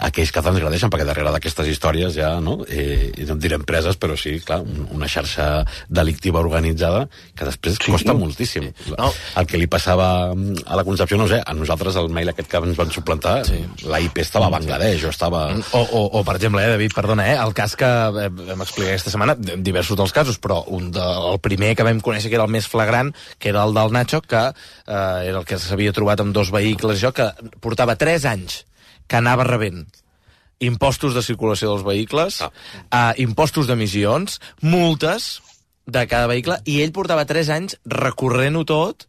aquells que transgredeixen, perquè darrere d'aquestes històries ja, no et diré empreses, però sí, clar, una xarxa delictiva organitzada que després costa moltíssim. El que li passava a la Concepció, no sé, a nosaltres el mail aquest que ens van suplantar, la IP estava a Bangladesh, o estava... O per exemple, David, perdona, el cas que vam explicar aquesta setmana, diversos dels casos, però el primer que vam conèixer que era el més flagrant, que era el del Nacho, que era el que s'havia trobat amb 2 vehicles, que portava 3 anys que anava rebent impostos de circulació dels vehicles, impostos d'emissions, multes de cada vehicle, i ell portava 3 anys recorrent-ho tot,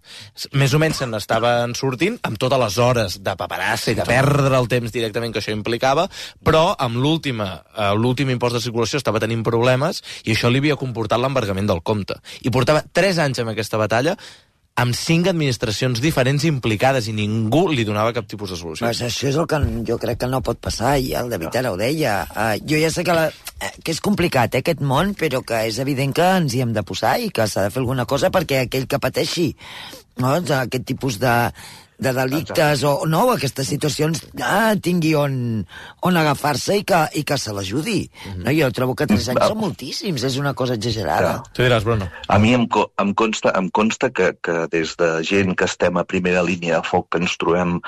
més o menys se n'estaven sortint, amb totes les hores de paperassa i de perdre el temps directament que això implicava, però amb l'últim impost de circulació estava tenint problemes, i això li havia comportat l'embargament del compte. I portava 3 anys amb aquesta batalla, amb 5 administracions diferents implicades, i ningú li donava cap tipus de solució. Pues això és el que jo crec que no pot passar, i el David ara ho deia. Jo ja sé que és complicat, aquest món, però que és evident que ens hi hem de posar i que s'ha de fer alguna cosa perquè aquell que pateixi aquest tipus de delictes o aquestes situacions tingui on agafar-se i que se l'ajudi. Jo trobo que 3 anys són moltíssims, és una cosa exagerada. Tu diràs, Bruno. A mi em consta que des de gent que estem a primera línia de foc, que ens trobem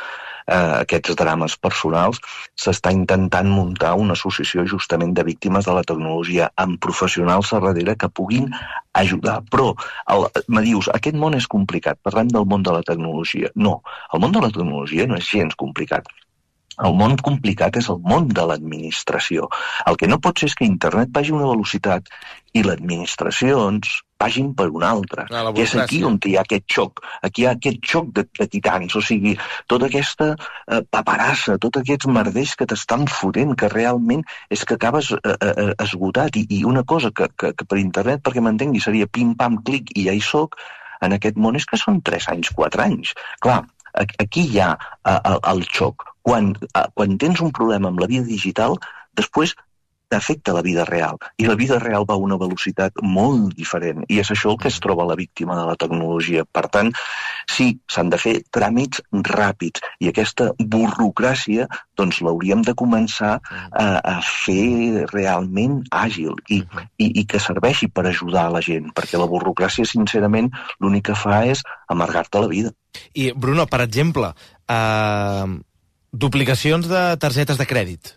aquests drames personals, s'està intentant muntar una associació justament de víctimes de la tecnologia amb professionals a darrere que puguin ajudar. Però me dius, aquest món és complicat, parlem del món de la tecnologia. No, el món de la tecnologia no és gens complicat. El món complicat és el món de l'administració. El que no pot ser és que internet vagi a una velocitat i les administracions vagin per una altra. Que és aquí on hi ha aquest xoc. Aquí hi ha aquest xoc de titans. O sigui, tota aquesta paperassa, tots aquests merders que t'estan fotent, que realment és que acabes esgotat. I una cosa que per internet, perquè m'entengui, seria pim-pam-clic i ja hi soc, en aquest món és que són 3 anys, 4 anys. Clar, aquí hi ha el xoc. Quan tens un problema amb la vida digital, després t'afecta la vida real. I la vida real va a una velocitat molt diferent. I és això el que es troba la víctima de la tecnologia. Per tant, sí, s'han de fer tràmits ràpids. I aquesta burocràcia, doncs, l'hauríem de començar a fer realment àgil i que serveixi per ajudar a la gent. Perquè la burocràcia, sincerament, l'únic que fa és amargar-te la vida. I, Bruno, per exemple, duplicacions de targetes de crèdit.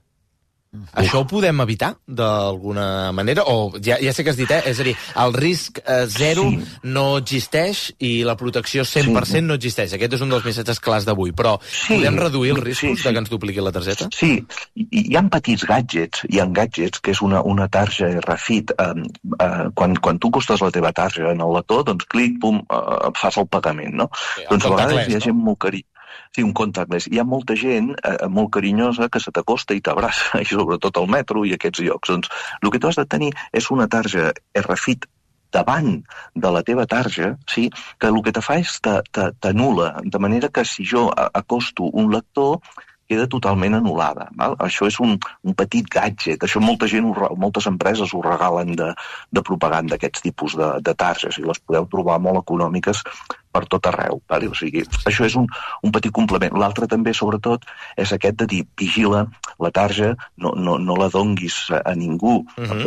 Això ho podem evitar d'alguna manera? O ja sé que has dit, és a dir, el risc zero no existeix i la protecció 100% no existeix. Aquest és un dels missatges clars d'avui, però podem reduir els riscos de que ens dupliqui la targeta? Sí, hi ha petits gadgets, que és una tarja RFID. Quan tu costes la teva tarja en el lector, doncs clic, pum, fas el pagament, no? Doncs a vegades hi ha gent molt carinyosa. Sí, un contactless. Hi ha molta gent molt carinyosa que se t'acosta i t'abraça, i sobretot al metro i aquests llocs. Doncs el que tu has de tenir és una tarja RFID davant de la teva tarja, sí, que el que te fa és t'anul·la, de manera que si jo acosto un lector queda totalment anul·lada. Val? Això és un petit gadget. Això moltes empreses ho regalen de propaganda, aquests tipus de targes, i les podeu trobar molt econòmiques per tot arreu. O sigui, això és un petit complement. L'altre també, sobretot, és aquest de dir, vigila la tarja, no la donguis a ningú.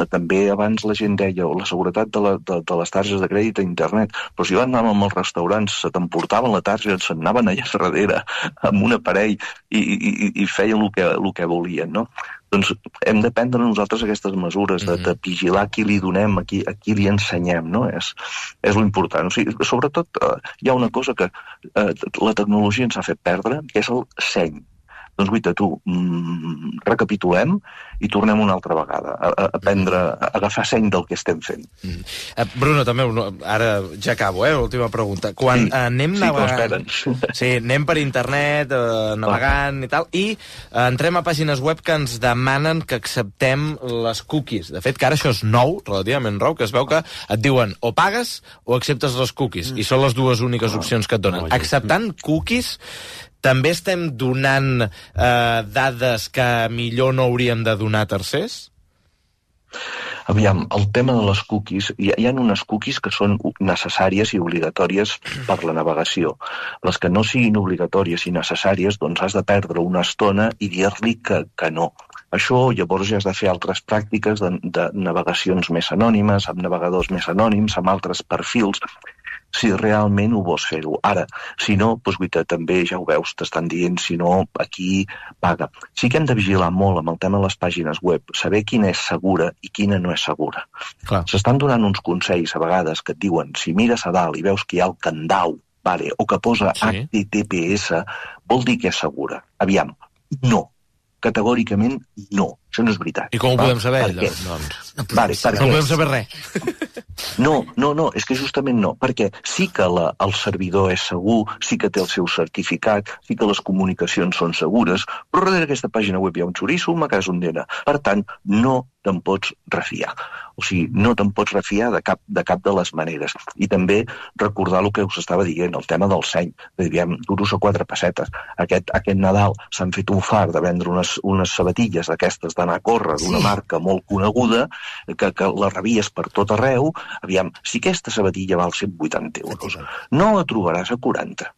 També abans la gent deia, la seguretat de les targes de crèdit a internet, però si anàvem als restaurants, se t'emportaven la tarja, se'n anaven allà darrere amb un aparell i feien el que volien, no? Doncs hem de prendre nosaltres aquestes mesures de vigilar qui li donem, a qui li ensenyem, no? És l'important. O sigui, sobretot hi ha una cosa que la tecnologia ens ha fet perdre, que és el seny. Doncs guaita, tu, recapitulem i tornem una altra vegada a aprendre, a agafar seny del que estem fent. Bruno, també, ara ja acabo, l'última pregunta. Quan anem navegant... Sí, anem per internet, navegant i tal, i entrem a pàgines web que ens demanen que acceptem les cookies. De fet, que ara això és nou, relativament nou, que es veu que et diuen o pagues o acceptes les cookies, i són les dues úniques opcions que et donen. Acceptant cookies, també estem donant dades que millor no hauríem de donar a tercers? Aviam, el tema de les cookies, hi ha unes cookies que són necessàries i obligatòries per la navegació. Les que no siguin obligatòries i necessàries, doncs has de perdre una estona i dir-li que no. Això llavors ja has de fer altres pràctiques de navegacions més anònimes, amb navegadors més anònims, amb altres perfils, si realment ho vols fer-ho. Ara, si no, doncs, guaita, també ja ho veus, t'estan dient, si no, aquí paga. Sí que hem de vigilar molt amb el tema de les pàgines web, saber quina és segura i quina no és segura. S'estan donant uns consells a vegades que et diuen, si mires a dalt i veus que hi ha el candau, o que posa HTTPS, vol dir que és segura. Aviam, no. Categòricament, no. Això no és veritat. I com ho podem saber? No podem saber res. No, és que justament no, perquè sí que el servidor és segur, sí que té el seu certificat, sí que les comunicacions són segures, però darrere d'aquesta pàgina web hi ha un xoriço, una casa ondera. Per tant, no te'n pots refiar. O sigui, no te'n pots refiar de cap de les maneres. I també recordar el que us estava dient, el tema del seny. Diem, duros a 4 pessetes. Aquest Nadal s'han fet un far de vendre unes sabatilles d'aquestes d'anar a córrer, d'una marca molt coneguda, que la rebies per tot arreu. Aviam, si aquesta sabatilla val 180 euros, no la trobaràs a 40.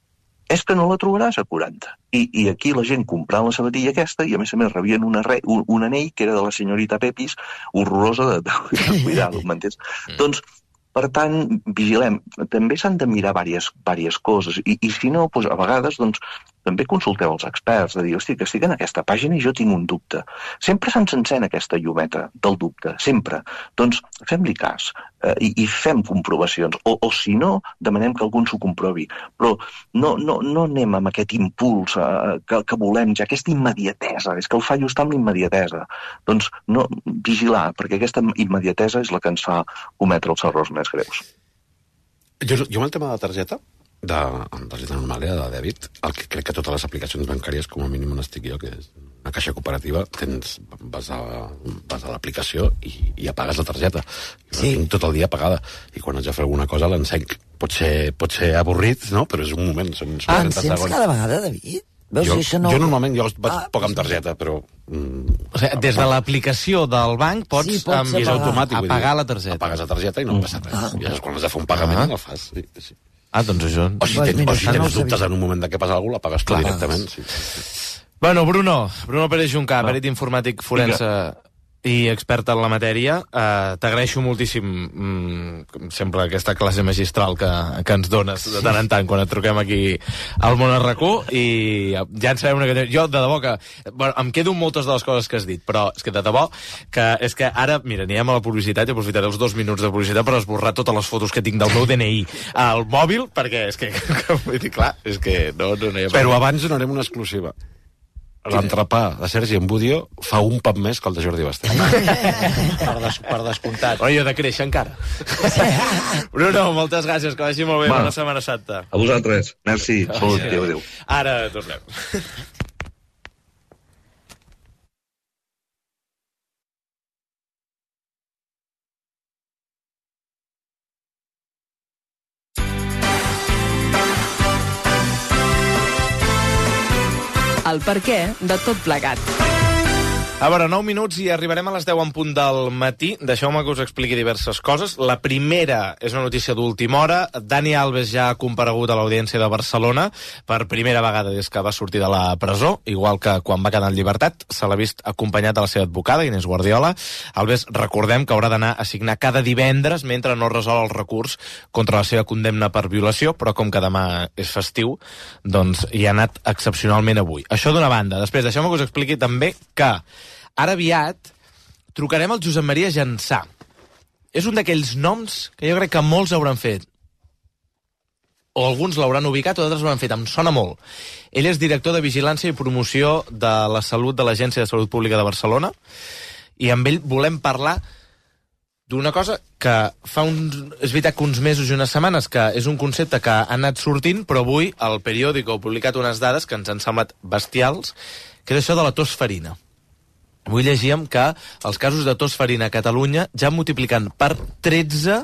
És que no la trobaràs a 40. I aquí la gent comprant la sabatilla aquesta, i a més rebien un anell que era de la senyorita Pepis, horrorosa de cuidado, m'entens? Doncs, per tant, vigilem. També s'han de mirar diverses coses. I si no, doncs, a vegades, doncs, també consulteu els experts, de dir, hosti, que estic en aquesta pàgina i jo tinc un dubte. Sempre se'ns encén aquesta llumeta del dubte, sempre. Doncs fem-li cas i fem comprovacions. O si no, demanem que algú s'ho comprovi. Però no anem amb aquest impuls que volem, ja aquesta immediatesa. És que el fallo està amb l'immediatesa. Doncs no, vigilar, perquè aquesta immediatesa és la que ens fa cometre els errors més greus. Jo amb el tema de la targeta, de targeta normal, de dèbit, el que crec que totes les aplicacions bancàries, com a mínim on estic jo, que és una caixa cooperativa, vas a l'aplicació i apagues la targeta. Sí. Tinc tot el dia apagada. I quan haig de fer alguna cosa l'encenc. Pot ser avorrit, no? Però és un moment. Encens cada vegada, David? Jo normalment vaig poc amb targeta, però... O sigui, des de l'aplicació del banc pots és automàtic, apagar la targeta. Apagues la targeta i no passa res. I quan has de fer un pagament el fas. Sí. Doncs això... O si tens dubtes en un moment de què passa alguna cosa, l'apagues tu directament. Bueno, Bruno Pérez Juncà, perit informàtic forense i expert en la matèria. T'agraeixo moltíssim sempre aquesta classe magistral que ens dones de tant en tant quan et truquem aquí al Món RQ, i ja en sabem una que... Jo, de debò que... Bueno, em quedo amb moltes de les coses que has dit, però és que de debò és que ara, mira, anirem a la publicitat i aprofitaré els 2 minuts de publicitat per esborrar totes les fotos que tinc del meu DNI al mòbil, perquè és que vull dir, clar, és que no hi ha... Però abans donarem una exclusiva. L'entrepà de Sergi Embudio fa un pam més que el de Jordi Basté. Per descomptat. Però jo de créixer encara. Bruno, moltes gràcies, que vagi molt bé. Bona Setmana Santa. A vosaltres. Merci. Adéu. Ara tornem. El perquè de tot plegat. A veure, 9 minuts i arribarem a les 10 en punt del matí. Deixeu-me que us expliqui diverses coses. La primera és una notícia d'última hora. Dani Alves ja ha comparegut a l'Audiència de Barcelona per primera vegada des que va sortir de la presó, igual que quan va quedar en llibertat. Se l'ha vist acompanyat de la seva advocada, Inés Guardiola. Alves, recordem que haurà d'anar a signar cada divendres mentre no resol el recurs contra la seva condemna per violació, però com que demà és festiu, doncs hi ha anat excepcionalment avui. Això d'una banda. Després, deixeu-me que us expliqui també que ara aviat trucarem al Josep Maria Jansà. És un d'aquells noms que jo crec que molts hauran fet. o alguns l'hauran ubicat o d'altres ho han fet. Em sona molt. Ell és director de Vigilància i Promoció de la Salut de l'Agència de Salut Pública de Barcelona, i amb ell volem parlar d'una cosa que és veritat que uns mesos i unes setmanes que és un concepte que ha anat sortint, però avui el periòdico ha publicat unes dades que ens han semblat bestials, que és això de la tos ferina. Avui llegíem que els casos de tos ferina a Catalunya ja multiplicant per 13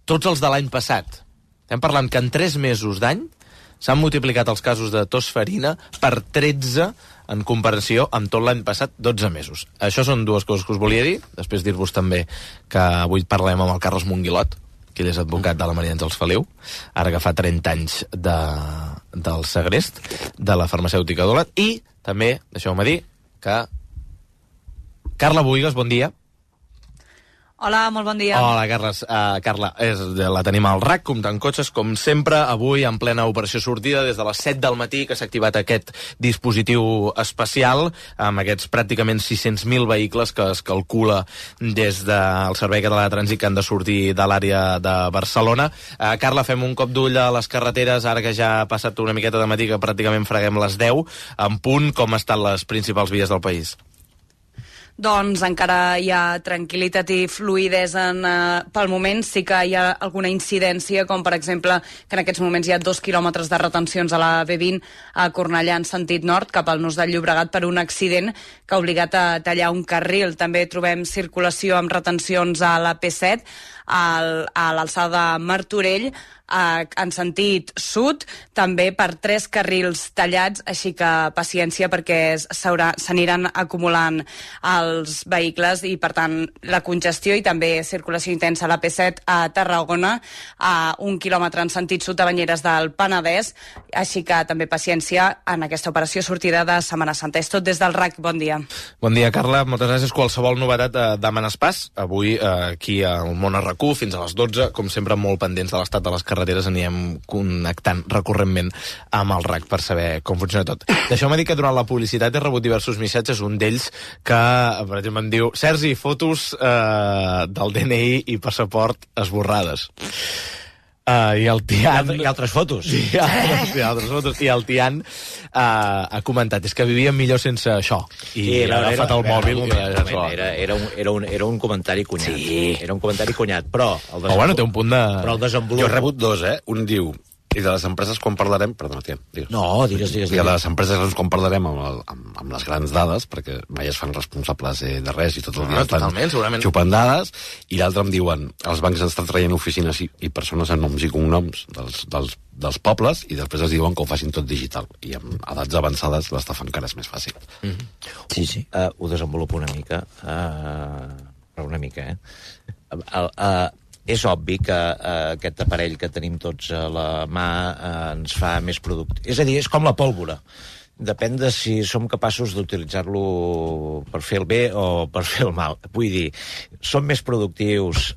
tots els de l'any passat. Estem parlant que en 3 mesos d'any s'han multiplicat els casos de tos ferina per 13 en comparació amb tot l'any passat, 12 mesos. Això són dues coses que us volia dir. Després dir-vos també que avui parlem amb el Carles Monguilot, que ell és advocat de la Maria Àngels Feliu, ara que fa 30 anys del segrest de la farmacèutica Dolat, i també, deixeu-me dir, que Carla Buigas, bon dia. Hola, molt bon dia. Hola, Carla, la tenim al RAC, comptant cotxes, com sempre, avui en plena operació sortida, des de les 7 del matí que s'ha activat aquest dispositiu especial, amb aquests pràcticament 600.000 vehicles que es calcula des del Servei Català de Trànsit que han de sortir de l'àrea de Barcelona. Carla, fem un cop d'ull a les carreteres, ara que ja ha passat una miqueta de matí, que pràcticament freguem les 10, en punt, com estan les principals vies del país? Doncs encara hi ha tranquil·litat i fluïdesa pel moment. Sí que hi ha alguna incidència, com per exemple que en aquests moments hi ha 2 quilòmetres de retencions a la B20 a Cornellà en sentit nord, cap al Nus del Llobregat, per un accident que ha obligat a tallar un carril. També trobem circulació amb retencions a la P7, a l'alçada de Martorell, en sentit sud, també per 3 carrils tallats, així que paciència perquè s'aniran acumulant els vehicles i, per tant, la congestió i també circulació intensa a la P7 a Tarragona, a 1 quilòmetre en sentit sud a Banyeres del Penedès, així que també paciència en aquesta operació sortida de Setmana Santa. És tot des del RAC. Bon dia. Bon dia, Carla. Moltes gràcies. Qualsevol novetat demanes pas. Avui, aquí al Món RAC1, fins a les 12, com sempre, molt pendents de l'estat de les carreteres, anirem connectant recurrentment amb el RAC per saber com funciona tot. Deixeu-me dir que durant la publicitat he rebut diversos missatges, un d'ells que, per exemple, em diu: Sergi, fotos del DNI i passaport esborrades. I el Tian... I altres fotos. I altres fotos. I el Tian ha comentat, és que vivia millor sense això. I ha agafat el mòbil. Era un comentari cunyat. Sí. Era un comentari cunyat, però... bueno, té un punt de... Però el desenvolupament... Jo he rebut 2, Un diu... I de les empreses quan parlarem... Perdona, Tian, digues. No, digues. I de les empreses quan parlarem amb les grans dades, perquè mai es fan responsables de res i tot el dia estan xupant dades, i l'altre em diuen, els bancs estan traient oficines i persones amb noms i cognoms dels pobles, i després es diuen que ho facin tot digital. I amb edats avançades l'estafa encara és més fàcil. Sí. Ho desenvolupo una mica. Però una mica, és obvi que aquest aparell que tenim tots a la mà ens fa més productius. És a dir, és com la pólvora. Depèn de si som capaços d'utilitzar-lo per fer el bé o per fer el mal. Vull dir, som més productius,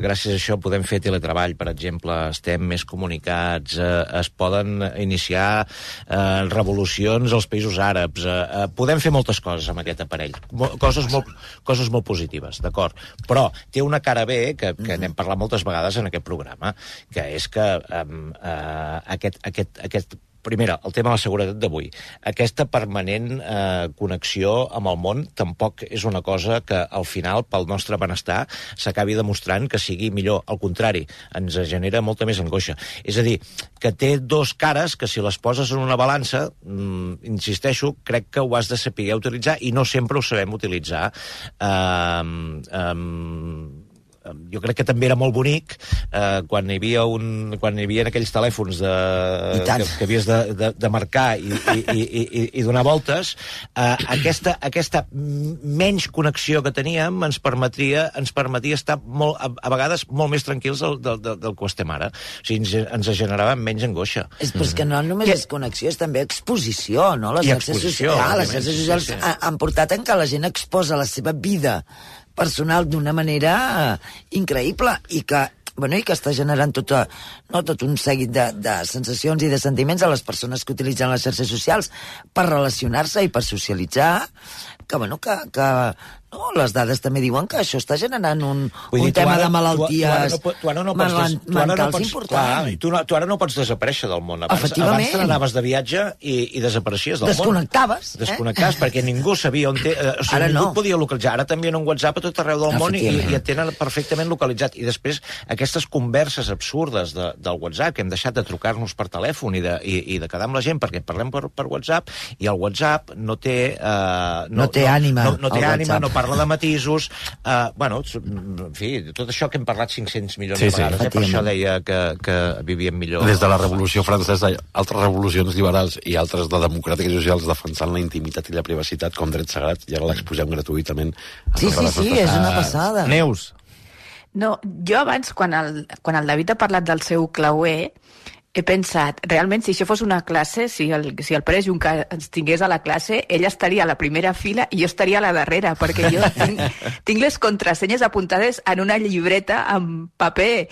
gràcies a això podem fer teletreball, per exemple, estem més comunicats, es poden iniciar revolucions als països àrabs, podem fer moltes coses amb aquest aparell, coses molt positives, d'acord? Però té una cara B, que n'hem parlat moltes vegades en aquest programa, que és que aquest primera, el tema de la seguretat d'avui. Aquesta permanent connexió amb el món tampoc és una cosa que al final, pel nostre benestar, s'acabi demostrant que sigui millor. Al contrari, ens genera molta més angoixa. És a dir, que té 2 cares que si les poses en una balança, insisteixo, crec que ho has de saber utilitzar i no sempre ho sabem utilitzar. Jo crec que també era molt bonic quan hi havia aquells telèfons que havies de marcar i donar voltes. Aquesta menys connexió que teníem ens permetia estar a vegades molt més tranquils del que estem ara. O sigui, ens generava menys angoixa. Però és que no només és connexió, és també exposició, no? Les xarxes socials han portat en què la gent exposa la seva vida personal d'una manera increïble i que està generant tot un seguit de sensacions i de sentiments a les persones que utilitzen les xarxes socials per relacionar-se i per socialitzar, que No, les dades també diuen que això està generant un tema de malalties mentals important. Tu ara no pots desaparèixer del món. Abans te n'anaves de viatge i desapareixies del món. Desconnectaves, perquè ningú sabia on té... O sigui, ningú et podia localitzar. Ara t'envien un WhatsApp a tot arreu del món i et tenen perfectament localitzat. I després, aquestes converses absurdes del WhatsApp, que hem deixat de trucar-nos per telèfon i de quedar amb la gent perquè parlem per WhatsApp, i el WhatsApp no té... No té ànima, no parla de matisos, en fi, tot això que hem parlat 500 milions de vegades, per això deia que vivíem millor. Des de la Revolució Francesa, altres revolucions liberals i altres de democràtiques i socials defensant la intimitat i la privacitat com drets sagrats, i ara l'exposem gratuïtament. Sí, és una passada. Neus. No, jo abans, quan el David ha parlat del seu clauer, he pensat, realment, si això fos una classe, si el Pere Juncker ens tingués a la classe, ell estaria a la primera fila i jo estaria a la darrera, perquè jo tinc les contrasenyes apuntades en una llibreta amb paper.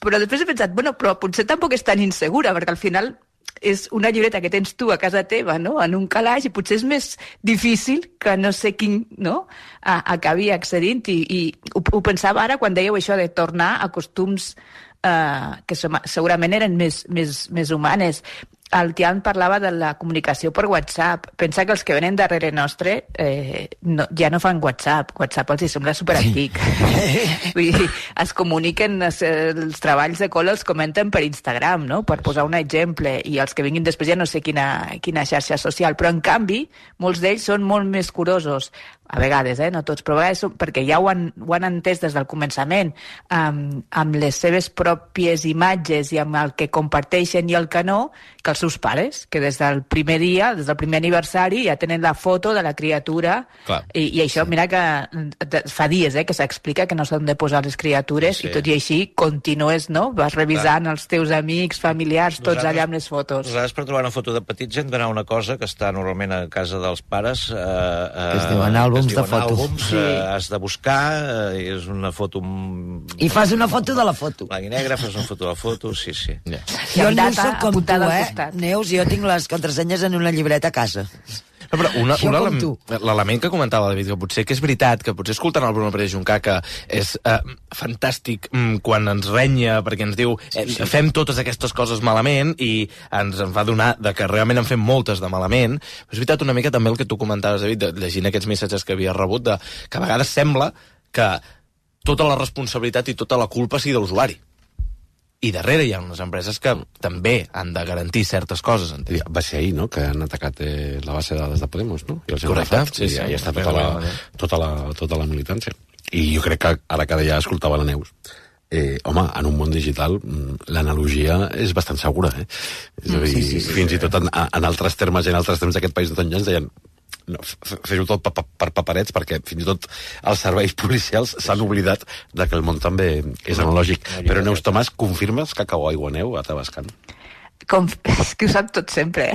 Però després he pensat, però potser tampoc és tan insegura, perquè al final és una llibreta que tens tu a casa teva, no?, en un calaix, i potser és més difícil que no sé quin, no?, acabi accedint. I ho pensava ara quan dèieu això de tornar a costums que segurament eren més humanes. El Tian parlava de la comunicació per WhatsApp. Pensa que els que venen darrere nostre ja no fan WhatsApp. WhatsApp els sembla superantic. Vull dir, es comuniquen, els treballs de col·le els comenten per Instagram, no?, per posar un exemple, i els que vinguin després ja no sé quina xarxa social. Però, en canvi, molts d'ells són molt més curosos. A vegades, no tots, però a vegades perquè ja ho han entès des del començament, amb les seves pròpies imatges i amb el que comparteixen i el que no, que els seus pares, que des del primer dia, des del primer aniversari, ja tenen la foto de la criatura. I això, mira que fa dies que s'explica que no s'han de posar les criatures, i tot i així continues, no? Vas revisant els teus amics, familiars, tots allà amb les fotos. Nosaltres, per trobar una foto de petits, hem d'anar a una cosa que està normalment a casa dels pares, que es diuen àlbums de fotos. Has de buscar, és una foto... I fas una foto de la foto. Blanc i negre, fas una foto de la foto, sí. Jo no soc com tu, Neus, jo tinc les contrasenyes en una llibreta a casa. No, però l'element que comentava David, que potser que és veritat, que potser escoltant el Bruno Pérez Juncker, que és fantàstic quan ens renya, perquè ens diu fem totes aquestes coses malament, i ens en fa donar que realment en fem moltes de malament. Però és veritat una mica també el que tu comentaves, David, llegint aquests missatges que havia rebut, que a vegades sembla que tota la responsabilitat i tota la culpa sigui de l'usuari. I darrere hi ha unes empreses que també han de garantir certes coses. Va ser ahir, no?, que han atacat la base de dades de Podemos, no? Correcte. I ja està tota la militància. I jo crec que ara que ja escoltava la Neus, home, en un món digital l'analogia és bastant segura, És a dir, fins i tot en altres termes i en altres temps d'aquest país de tot ja ens deien fer-ho tot per paperets, perquè fins i tot els serveis policials s'han oblidat de que el món també és analògic. Però, Neus Tomàs, confirmes que cau aiguaneu a Tavascan? És que ho sap tot sempre,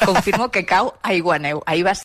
Confirmo que cau aiguaneu. Ahir va